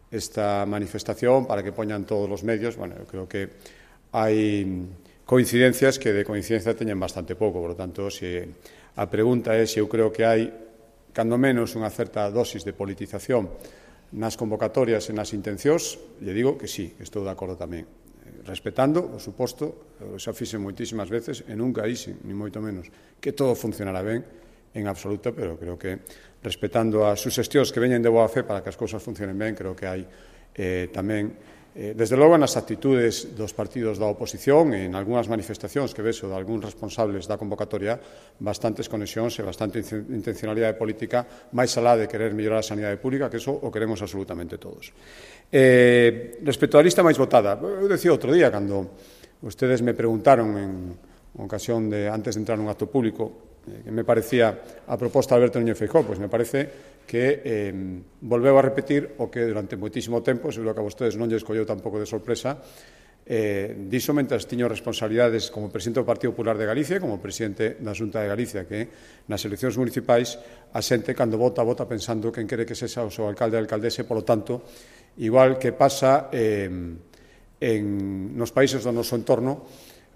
esta manifestación, para que poñan todos os medios. Bueno, eu creo que hai coincidencias que de coincidencia teñen bastante pouco. Por lo tanto, se a pregunta é se eu creo que hai, cando menos, unha certa dosis de politización nas convocatorias e nas intencións, lle digo que sí, que estou de acordo tamén. Respetando, por suposto, xa fixen moitísimas veces, e nunca dixen, ni moito menos, que todo funcionará ben en absoluto, pero creo que respetando as suxestións que veñen de boa fe para que as cousas funcionen ben, creo que hai tamén desde logo nas actitudes dos partidos da oposición e en algunhas manifestacións que vexo de algúns responsables da convocatoria bastantes conexións e bastante intencionalidade política máis alá de querer mellorar a sanidade pública, que eso o queremos absolutamente todos. Respecto á lista máis votada, eu decía outro día cando ustedes me preguntaron en ocasión de antes de entrar nun acto público que me parecía a proposta de Alberto Núñez Feijóo, pois me parece que volveu a repetir o que durante moitísimo tempo, seguro que a vostedes non lles colleu tampouco de sorpresa, dixo mentres tiño responsabilidades como presidente do Partido Popular de Galicia, como presidente da Xunta de Galicia, que nas eleccións municipais a xente cando vota pensando quen quere que sexa o seu alcalde e alcaldese, polo tanto, igual que pasa nos países do noso entorno,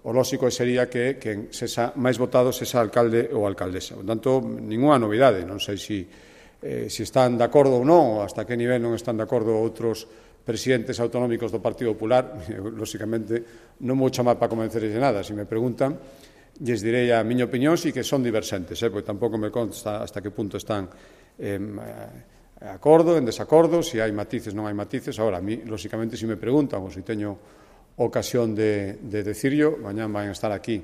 o lóxico sería que quen sexa máis votado sexa alcalde ou alcaldesa. Por tanto, ninguna novidade, non sei se están de acordo ou non, ou hasta que nivel non están de acordo outros presidentes autonómicos do Partido Popular. Lóxicamente, non vou chamar para convencerles de nada. Se me preguntan, lles direi a miña opinión, si que son diversentes, porque tampouco me consta hasta que punto están de acordo, en desacordo, se hai matices, non hai matices. Agora, a mí, lóxicamente, se me preguntan, ou se teño ocasión de decirlo, mañán van a estar aquí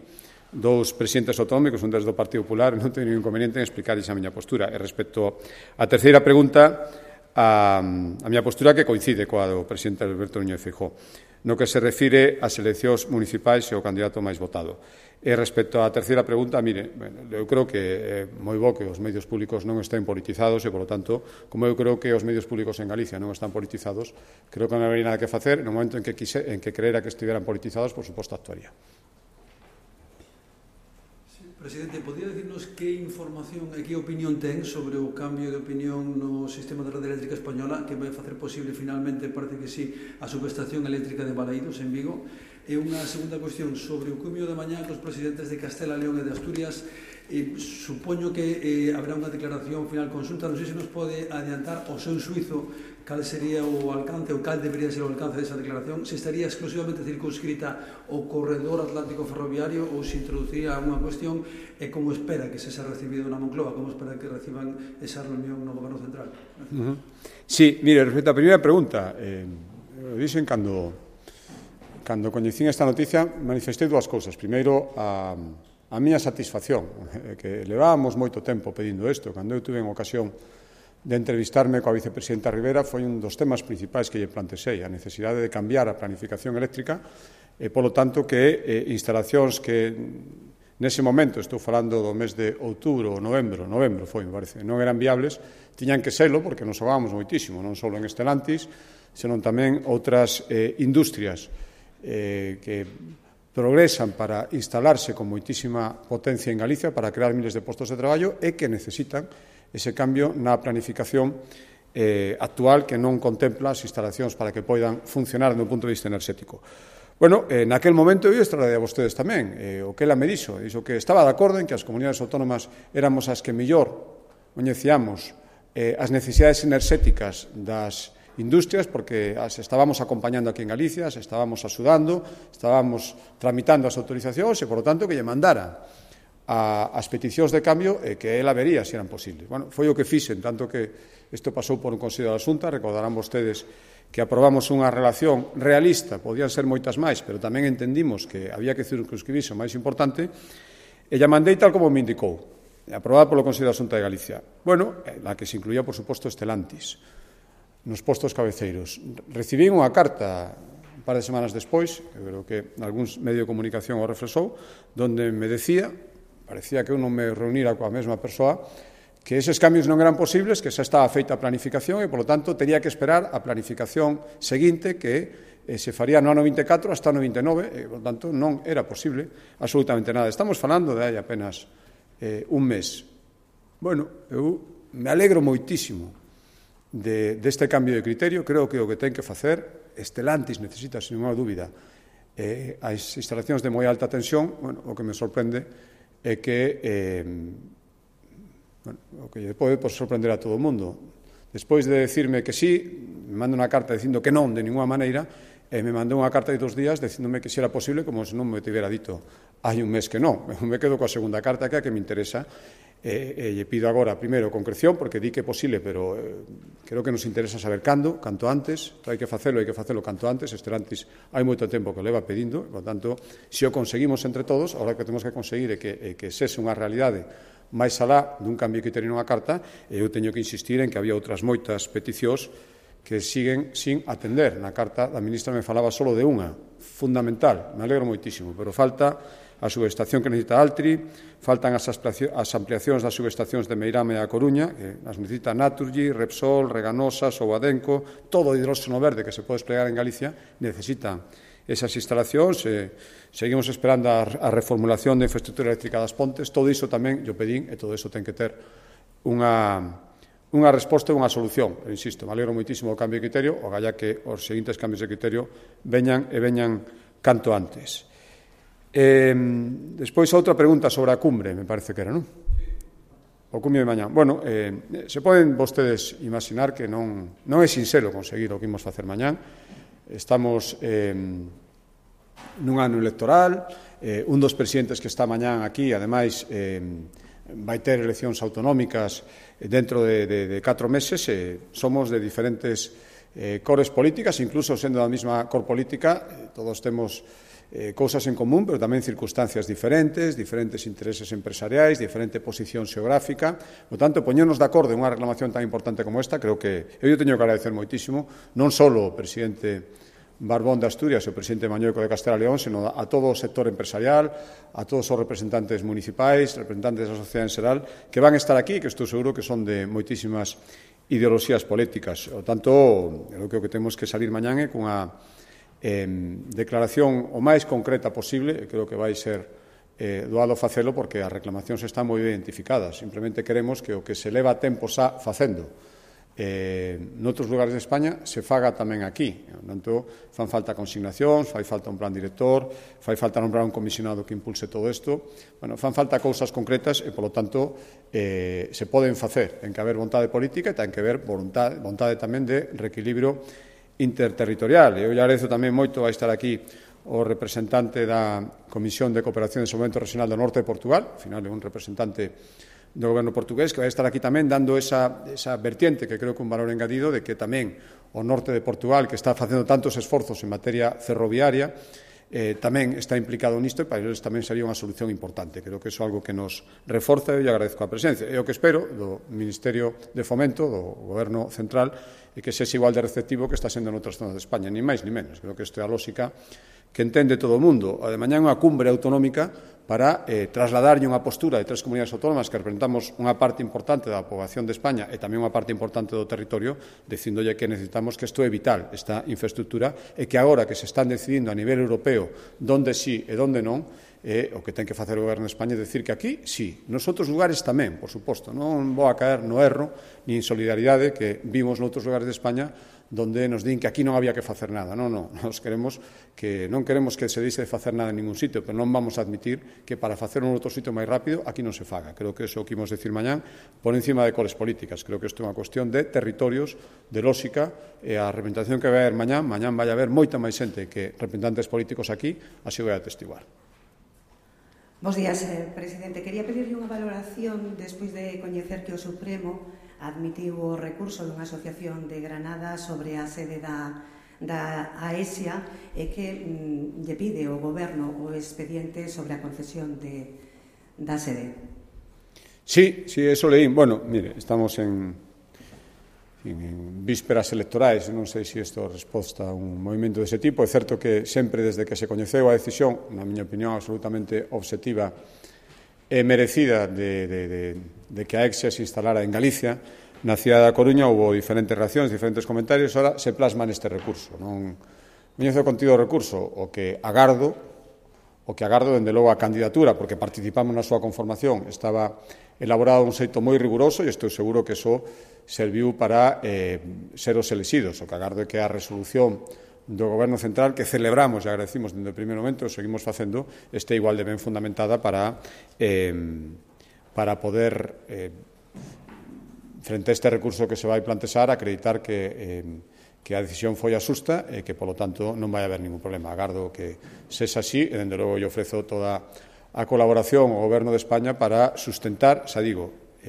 dous presidentes autonómicos, un desde o Partido Popular, non teño ningún inconveniente en explicar esa miña postura. E respecto á terceira pregunta, a miña postura que coincide coa do presidente Alberto Núñez Feijóo, no que se refire ás eleccións municipais e o candidato máis votado. E respecto á terceira pregunta, mire, eu creo que é moi bo que os medios públicos non estén politizados e, polo tanto, como eu creo que os medios públicos en Galicia non están politizados, creo que non habería nada que facer. No momento en que creera que estiveran politizados, por suposto, actuaría. Presidente, podría dicirnos que información e que opinión ten sobre o cambio de opinión no sistema de rede eléctrica española que vai facer posible finalmente, parece que sí, a subestación eléctrica de Balaídos en Vigo? E unha segunda cuestión sobre o cumio de mañá cos presidentes de Castela, León e de Asturias. Supoño que haberá unha declaración final consulta. Non sei se nos pode adiantar o seu suizo cal sería o alcance ou cal debería ser o alcance desa declaración, se estaría exclusivamente circunscrita ao corredor atlántico ferroviario ou se introduciría unha cuestión e como espera que se xa recibido na Moncloa, como espera que reciban esa reunión no Goberno Central. Sí, mire, respecto á primeira pregunta, dixen cando coñecín esta noticia manifestei dúas cousas. Primeiro, a miña satisfacción, que levábamos moito tempo pedindo isto. Cando eu tuve en ocasión de entrevistarme coa vicepresidenta Rivera foi un dos temas principais que lle plantexei, a necesidade de cambiar a planificación eléctrica e, polo tanto, que instalacións que nese momento, estou falando do mes de outubro ou novembro foi, me parece, non eran viables, tiñan que serlo porque nos xogábamos moitísimo, non só en Stellantis, senón tamén outras industrias que progresan para instalarse con moitísima potencia en Galicia para crear miles de postos de traballo e que necesitan ese cambio na planificación actual que non contempla as instalacións para que poidan funcionar do punto de vista enerxético. Bueno, naquel momento eu extraordei a vostedes tamén o que ela me dixo que estaba de acordo en que as comunidades autónomas éramos as que mellor coñecíamos as necesidades enerxéticas das industrias porque as estábamos acompañando aquí en Galicia, as estábamos axudando, estábamos tramitando as autorizacións e, por lo tanto, que lle mandara as peticións de cambio que ela vería se eran posibles. Bueno, foi o que fixen, tanto que isto pasou por un Consello da Xunta, recordarán vostedes que aprobamos unha relación realista, podían ser moitas máis, pero tamén entendimos que había que circunscribirse o máis importante, e lla mandei tal como me indicou, aprobada polo Consello da Xunta de Galicia. Bueno, la que se incluía, por suposto, Stellantis, nos postos cabeceiros. Recibín unha carta un par de semanas despois, que creo que algún medio de comunicación o refresou, donde me decía, parecía que eu non me reunira coa mesma persoa, que eses cambios non eran posibles, que xa estaba feita a planificación e, polo tanto, tería que esperar a planificación seguinte que se faría no ano 24 hasta o ano 29 e, por tanto, non era posible absolutamente nada. Estamos falando de hai apenas un mes. Bueno, eu me alegro moitísimo deste cambio de criterio. Creo que o que ten que facer Stellantis necesita, sin ninguna dúbida, as instalacións de moi alta tensión. Bueno, o que me sorprende é que o que pode sorprender a todo o mundo. Despois de decirme que sí, me manda unha carta dicindo que non, de ninguna maneira, e me mandou unha carta de 2 días dicíndome que si era posible, como se non me tivera dito hai un mes que non. Me quedo coa segunda carta que é a que me interesa, e lle pido agora, primeiro, concreción, porque di que é posible, pero creo que nos interesa saber canto antes, hai que facelo canto antes. Stellantis hai moito tempo que leva pedindo, por tanto, se o conseguimos entre todos, agora que temos que conseguir é que sese unha realidade máis alá dun cambio que teñen unha carta, e eu teño que insistir en que había outras moitas peticións que siguen sin atender. Na carta da ministra me falaba só de unha, fundamental, me alegro moitísimo, pero falta a subestación que necesita Altri, faltan as ampliacións das subestacións de Meirama e a Coruña, que as necesita Naturgy, Repsol, Reganosa, Souadenco, todo o hidróxeno verde que se pode desplegar en Galicia necesitan esas instalacións. Seguimos esperando a reformulación da infraestructura eléctrica das Pontes. Todo iso tamén yo pedín, e todo iso ten que ter unha resposta e unha solución. Pero, insisto, me alegro moitísimo do cambio de criterio, o galla que os seguintes cambios de criterio veñan canto antes. Despois, outra pregunta sobre a cumbre, me parece que era, non? O cumbre de mañá. Bueno, se poden vostedes imaginar que non é sinxelo conseguir o que imos facer mañá. Estamos nun ano electoral, un dos presidentes que está mañán aquí, ademais, vai ter eleccións autonómicas dentro de 4 meses, somos de diferentes cores políticas, incluso sendo da mesma cor política, todos temos cousas en común, pero tamén circunstancias diferentes intereses empresariais, diferente posición xeográfica. Por tanto, poñernos de acordo en unha reclamación tan importante como esta, creo que eu teño que agradecer moitísimo, non só o presidente Barbón de Asturias e o presidente Mañueco de Castela e León, sino a todo o sector empresarial, a todos os representantes municipais, representantes da sociedade en xeral, que van estar aquí, que estou seguro que son de moitísimas ideoloxías políticas. Por tanto, o que temos que salir mañán é cunha declaración o máis concreta posible. Creo que vai ser doado facelo porque as reclamacións están moi identificadas. Simplemente queremos que o que se leva tempo xa facendo noutros lugares de España se faga tamén aquí. Tanto, fan falta consignacións, fai falta un plan director, fai falta nombrar un comisionado que impulse todo isto. Bueno, fan falta cousas concretas e, polo tanto, se poden facer. Ten que haber vontade política e ten que haber vontade tamén de reequilibrio interterritorial. Eu lle agradezo tamén moito a estar aquí o representante da Comisión de Cooperación e Desenvolvemento Regional do Norte de Portugal, ao final é un representante do goberno portugués, que vai estar aquí tamén dando esa vertiente que creo que un valor engadido de que tamén o norte de Portugal, que está facendo tantos esforzos en materia ferroviaria, tamén está implicado nisto e para eles tamén sería unha solución importante. Creo que iso é algo que nos reforza e eu agradezco a presencia. E o que espero do Ministerio de Fomento, do Goberno Central, é que sexa igual de receptivo que está sendo en outras zonas de España, ni máis ni menos. Creo que isto é a lógica que entende todo o mundo. A de mañá unha cumbre autonómica para trasladarlle unha postura de 3 comunidades autónomas que representamos unha parte importante da poboación de España e tamén unha parte importante do territorio, dicindolle que necesitamos que isto é vital, esta infraestructura, e que agora que se están decidindo a nivel europeo donde sí e donde non, o que ten que facer o Goberno de España é dicir que aquí sí, nos outros lugares tamén, por suposto. Non vou a caer no erro ni en solidaridade que vimos noutros lugares de España donde nos din que aquí non había que facer nada. Non, non queremos que se deixe de facer nada en ningún sitio, pero non vamos a admitir que para facer un outro sitio máis rápido aquí non se faga. Creo que iso o que imos decir mañán por encima de cores políticas. Creo que isto é unha cuestión de territorios, de lógica, e a representación que vai haber mañán vai haber moita máis xente que representantes políticos aquí, así vai atestiguar. Bos días, presidente. Quería pedirle unha valoración despois de coñecer que o Supremo admitiu o recurso dunha asociación de Granada sobre a sede da AESIA e que lle pide ao Goberno o expediente sobre a concesión da sede. Sí, eso leín. Bueno, mire, estamos en vísperas electorais, non sei se isto resposta a un movimento dese tipo. É certo que sempre desde que se coñeceu a decisión, na miña opinión absolutamente obxectiva e merecida de que a EXIA se instalara en Galicia, na cidade da Coruña houve diferentes reaccións, diferentes comentarios, ahora se plasma neste recurso. Non coñezo o contido do recurso, o que agardo, dende logo a candidatura, porque participamos na súa conformación, estaba elaborado un xeito moi riguroso e estou seguro que iso serviu para ser os elexidos. O que agardo é que a resolución do Goberno Central, que celebramos e agradecimos dende o primeiro momento, seguimos facendo, este igual de ben fundamentada para poder, frente a este recurso que se vai plantexar, acreditar que a decisión foi a xusta e que, polo tanto, non vai haber ningún problema. Agardo que sexa así e, dende logo, eu ofrezo toda a colaboración ao Goberno de España para sustentar, xa digo,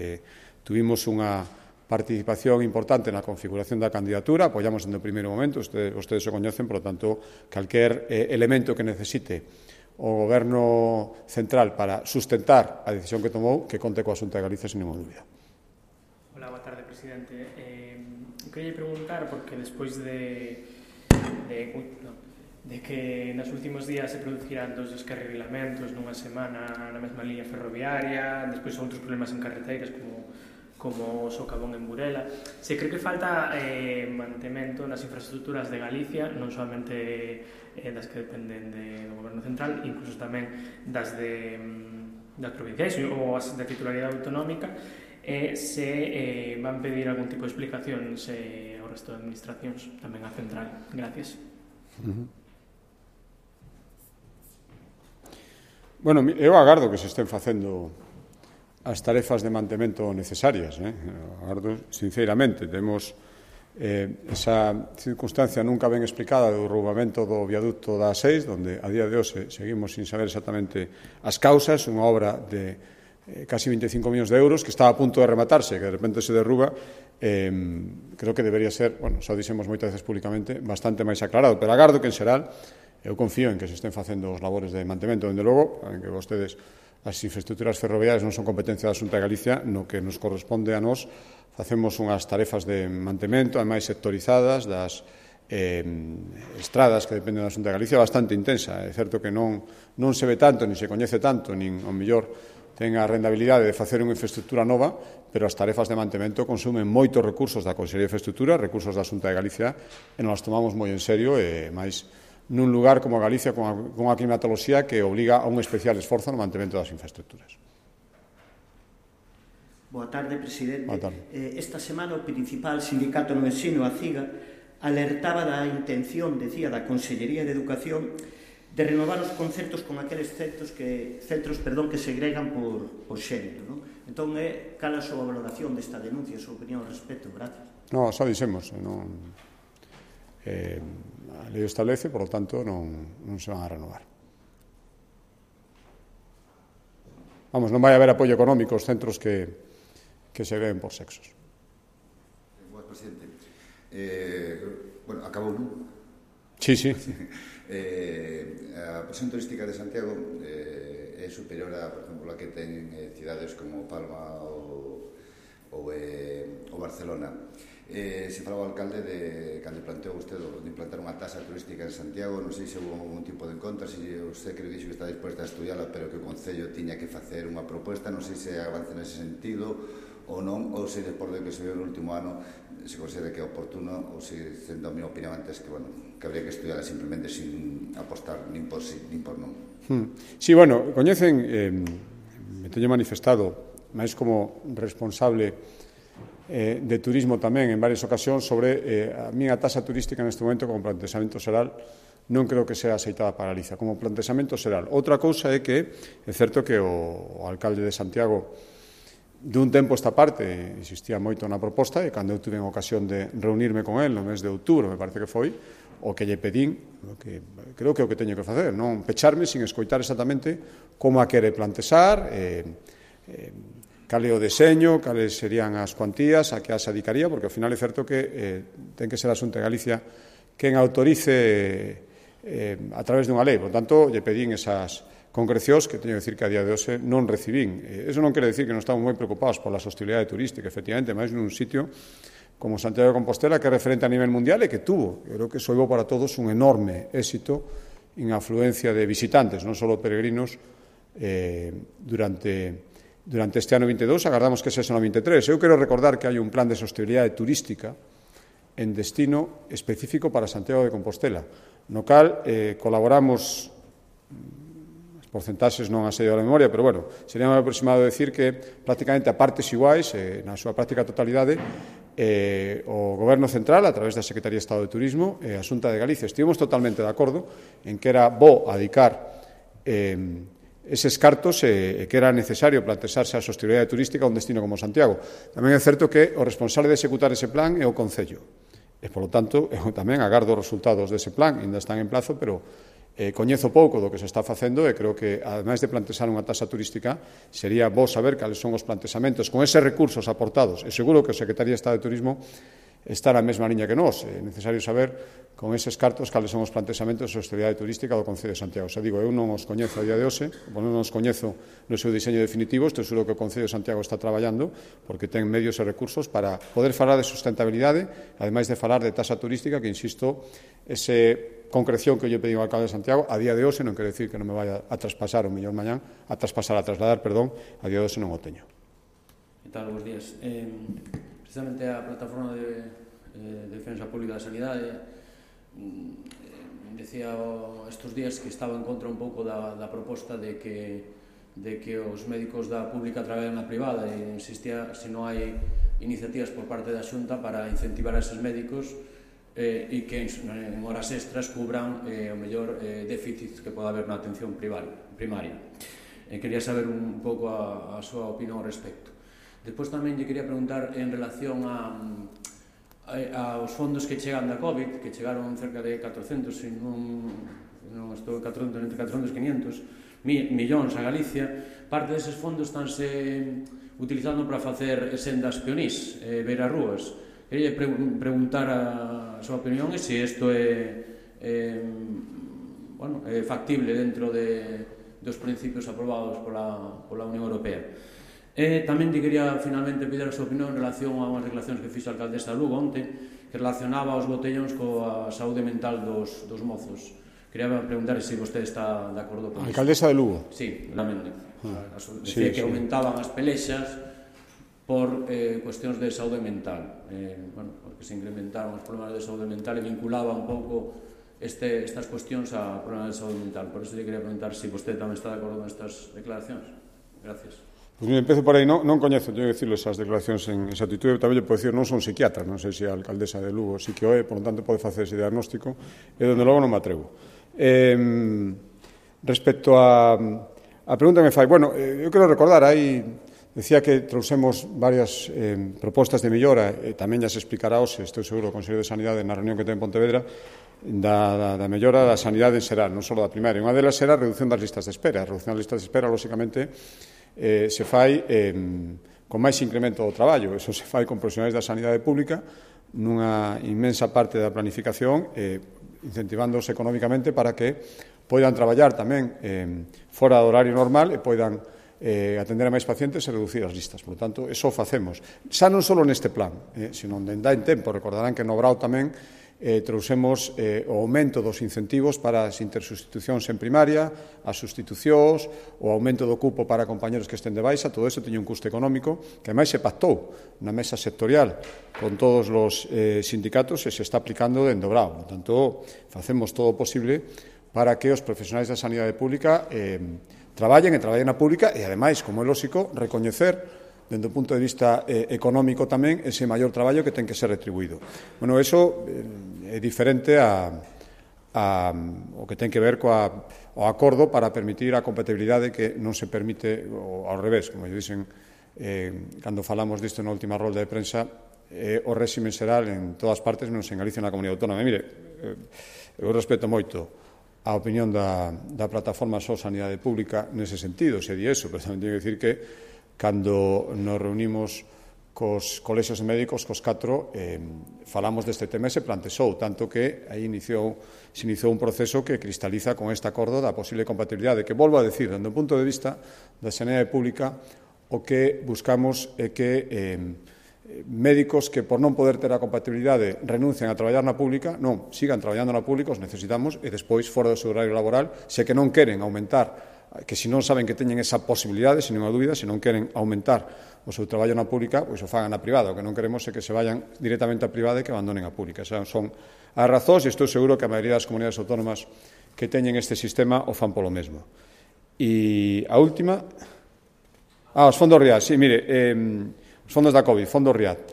tuvimos unha participación importante na configuración da candidatura, apoiamos dende o primeiro momento, vostedes o coñecen, por lo tanto, calquer elemento que necesite o Goberno Central para sustentar a decisión que tomou, que conte coa Xunta de Galicia sin ninguna dúbida. Hola, boa tarde, presidente. Queria preguntar, porque despois de que nos últimos días se produciran 2 descarrilamentos nunha semana na mesma liña ferroviaria, despois outros problemas en carreteiras como o socavón en Burela, se cree que falta mantemento nas infraestructuras de Galicia, non solamente das que dependen do Goberno Central, incluso tamén das provinciais ou as de titularidade autonómica, se van pedir algún tipo de explicacións ao resto de administracións, tamén a Central. Gracias. Bueno, eu agardo que se estén facendo as tarefas de mantemento necesarias. Agardo, sinceramente, temos esa circunstancia nunca ben explicada do roubamento do viaducto da A6, donde a día de hoxe seguimos sin saber exactamente as causas, unha obra de casi 25 millóns de euros que estaba a punto de rematarse, que de repente se derruba. Creo que debería ser, xa o dixemos moitas veces públicamente, bastante máis aclarado, pero agardo que en xeral eu confío en que se estén facendo os labores de mantemento. Dende logo, en que vostedes, as infraestructuras ferroviarias non son competencia da Xunta de Galicia, no que nos corresponde a nós, facemos unhas tarefas de mantemento, ademais sectorizadas, das estradas que dependen da Xunta de Galicia, bastante intensa. É certo que non se ve tanto, nin se coñece tanto, nin ao mellor ten a rentabilidade de facer unha infraestructura nova, pero as tarefas de mantemento consumen moitos recursos da Consellería de Infraestructura, recursos da Xunta de Galicia, e nos tomamos moi en serio, e máis nun lugar como Galicia, con unha climatoloxía que obliga a un especial esforzo no mantemento das infraestructuras. Boa tarde, presidente. Boa tarde. Esta semana o principal sindicato no ensino, a CIGA, alertaba da intención, decía, da Consellería de Educación de renovar os concertos con aqueles centros que segregan por xénero, non? Entón, cal a súa valoración desta denuncia, a súa opinión ao respecto? Gracias. No, xa dixemos, a lei establece, por lo tanto, non se van a renovar. Vamos, non vai haber apoio económico aos centros que segreguen por sexos. Boas, presidente. Bueno, acabou, non? Sí, sí. A presión turística de Santiago é superior a, por exemplo, a que ten cidades como Palma ou Barcelona. Se falaba o alcalde de cando planteou usted de implantar unha tasa turística en Santiago, non sei se houve algún tipo de encontro, se usted que dixo que está disposta a estudiala, pero que o Concello tiña que facer unha proposta, non sei se avance nese sentido ou non, ou se despois do que se viu no último ano se considera que é oportuno, ou se, sendo a minha opinión antes, que, bueno, que habría que estudiala simplemente sin apostar nin por sí, nin por non. Sí, bueno, coñecen, me teño manifestado máis como responsable de turismo tamén en varias ocasións sobre a miña tasa turística neste momento como plantexamento xeral non creo que sea aceitada para Galicia como plantexamento xeral. Outra cousa é que é certo que o alcalde de Santiago dun tempo esta parte existía moito na proposta e cando eu tuve ocasión de reunirme con el no mes de outubro, me parece que foi, o que lle pedín, que creo que é o que teño que facer, non pecharme sin escoitar exactamente como a quere plantexar, cal é o deseño, cales serían as cuantías a que as adicaría, porque ao final é certo que ten que ser a Xunta de Galicia quen autorice a través dunha lei. Por tanto, lle pedín esas concrecións que teño que decir que a día de hoxe non recibín. Eso non quere decir que non estamos moi preocupados pola sostibilidade turística, efectivamente, máis nun sitio como Santiago de Compostela, que é referente a nivel mundial e que tuvo, creo que soivo para todos un enorme éxito en afluencia de visitantes, non só peregrinos, durante este ano 22, agardamos que sexa no 23. Eu quero recordar que hai un plan de sostenibilidade turística en destino específico para Santiago de Compostela, no cal colaboramos, as porcentaxes non as sei da memoria, pero bueno, sería máis aproximado decir que prácticamente a partes iguais, na súa práctica totalidade, o Goberno Central, a través da Secretaría de Estado de Turismo, e a Xunta de Galicia, estivemos totalmente de acordo en que era bo adicar eses cartos que era necesario plantexarse a sostenibilidade turística a un destino como Santiago. Tamén é certo que o responsable de executar ese plan é o Concello. E, polo tanto, eu tamén agardo os resultados dese plan, ainda están en plazo, pero coñezo pouco do que se está facendo e creo que, ademais de plantexar unha tasa turística, sería bo saber cales son os plantexamentos con eses recursos aportados. E seguro que o Secretaría de Estado de Turismo está na mesma liña que nós. É necesario saber con eses cartos cales son os plantexamentos de sostenibilidade turística do Concello de Santiago. Xa digo, eu non os coñezo a día de hoxe, non os coñezo no seu diseño definitivo, estou seguro que o Concello de Santiago está traballando porque ten medios e recursos para poder falar de sustentabilidade, ademais de falar de tasa turística, que, insisto, ese concreción que eu lle pedí ao alcalde de Santiago, a día de hoxe non quero decir que non me vaya a traspasar o mellor mañán, a trasladar, a día de hoxe non o teño. Que tal, bons días. Precisamente a plataforma de Defensa Pública da Sanidade decía estes días que estaba en contra un pouco da proposta de que os médicos da pública traballan na privada e insistía se non hai iniciativas por parte da Xunta para incentivar a eses médicos e que en horas extras cubran o mellor déficit que pode haber na atención primaria. Quería saber un pouco a súa opinión ao respecto. Despois tamén lle quería preguntar en relación aos fondos que chegan da COVID, que chegaron cerca de 400, se non estou 400, entre 400 e 500 millóns a Galicia. Parte deses fondos estánse utilizando para facer sendas peonís, beirarrúas. Queria preguntar a súa opinión e se isto é factible dentro dos principios aprobados pola Unión Europea. Tamén te quería finalmente pedir a súa opinión en relación a unhas declaracións que fixo a alcaldesa de Lugo onte, que relacionaba os botellóns coa saúde mental dos mozos. Quería preguntar se vostede está de acordo con iso. Alcaldesa de Lugo? Sí, lamento. Decía que aumentaban as pelexas por cuestións de saúde mental. Porque se incrementaron os problemas de saúde mental e vinculaba un pouco estas cuestións a problemas de saúde mental. Por iso lle quería preguntar se vostede tamén está de acordo con estas declaracións. Gracias. Pois me empezo por aí, non coñezo, teño que dicirlo, esas declaracións en esa actitude, tamén lle podo dicir, non son psiquiatra, non sei se a alcaldesa de Lugo sí que o é, por lo tanto pode facer ese diagnóstico, e donde logo non me atrevo. Respecto a pregunta que me fai, bueno, eu quero recordar, aí decía que trouxemos varias propostas de mellora, e tamén xa se explicará hoxe, estou seguro, o Consello de Sanidade na reunión que ten en Pontevedra, da mellora da sanidade en xeral, non só da primaria. Unha delas era a reducción das listas de espera. A reducción das listas de espera, lóxicamente, se fai con máis incremento do traballo. Eso se fai con profesionais da sanidade pública nunha inmensa parte da planificación, incentivándoos económicamente para que poidan traballar tamén fora do horario normal e poidan atender a máis pacientes e reducir as listas. Por lo tanto, eso facemos. Xa non só neste plan, sino onde dá en tempo. Recordarán que no Brao tamén trouxemos o aumento dos incentivos para as intersustitucións en primaria, as sustitucións, o aumento do cupo para compañeros que estén de baixa. Todo iso teña un custo económico que máis se pactou na mesa sectorial con todos os sindicatos e se está aplicando dende o Brao. Por tanto, facemos todo o posible para que os profesionais da sanidade pública traballen na pública e, ademais, como é lóxico, recoñecer dende o punto de vista económico tamén ese maior traballo que ten que ser retribuído. Bueno, eso é diferente o que ten que ver ao acordo para permitir a compatibilidade que non se permite ao revés, como lle dicen cando falamos disto na última rolda de prensa, o réxime xeral en todas partes menos en Galicia e na Comunidade Autónoma. Mire, eu respeto moito a opinión da plataforma Só Sanidade Pública nese sentido, se di eso, pero tamén teño que dicir que cando nos reunimos cos colexios de médicos, cos 4, falamos deste tema e se plantexou, tanto que aí se iniciou un proceso que cristaliza con este acordo da posible compatibilidade, que volvo a decir, dende o punto de vista da sanidade pública, o que buscamos é que médicos que por non poder ter a compatibilidade renuncian a traballar na pública, non, sigan traballando na pública, os necesitamos, e despois, fora do seu horario laboral, se que non queren aumentar, que se non saben que teñen esa posibilidade, sin unha dúbida, se non queren aumentar o seu traballo na pública, pois o fagan na privada. O que non queremos é que se vayan directamente á privada e que abandonen a pública. Esas son as razóns, e estou seguro que a maioría das comunidades autónomas que teñen este sistema o fan polo mesmo. E a última... os fondos RIAD. Sí, mire, os fondos da COVID, fondos RIAD.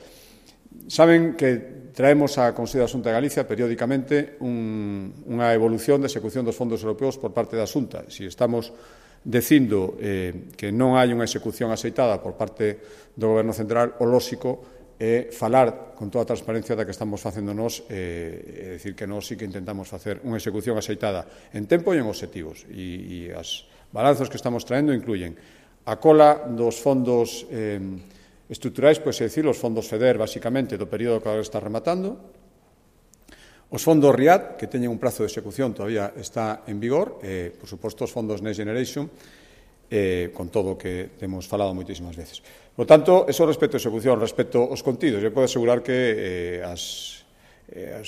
Saben que traemos á Consello da Xunta de Galicia periódicamente unha evolución de execución dos fondos europeos por parte da Xunta. Se estamos dicindo que non hai unha execución aceitada por parte do Goberno Central, o lóxico é falar con toda a transparencia da que estamos facendo nós, é dicir que nós sí que intentamos facer unha execución aceitada en tempo e en obxectivos. E as balanzos que estamos traendo incluyen a cola dos fondos estruturais, pois é dicir, os fondos FEDER, basicamente, do período que agora está rematando, os fondos RIAD, que teñen un prazo de execución todavía está en vigor, por suposto, os fondos Next Generation, con todo o que temos falado moitísimas veces. Por tanto, eso respecto a execución, respecto aos contidos, eu podo asegurar que as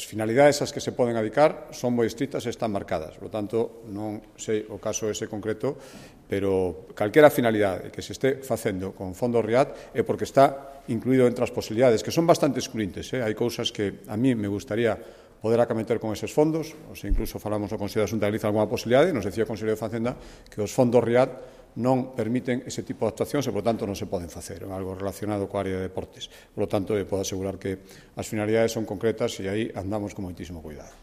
finalidades ás que se poden adicar son moi estritas e están marcadas. Por tanto, non sei o caso ese concreto, pero calquera finalidade que se este facendo con fondos RIAD é porque está incluído entre as posibilidades, que son bastante excluyentes. Hai cousas que a mí me gustaría poder acometer con eses fondos, ou se incluso falamos no Consello da Xunta de Galicia alguna posibilidade, nos decía o Consello de Facenda que os fondos RIAD non permiten ese tipo de actuacións e, por tanto, non se poden facer. É algo relacionado coa área de deportes. Por lo tanto, podo asegurar que as finalidades son concretas e aí andamos con moitísimo cuidado.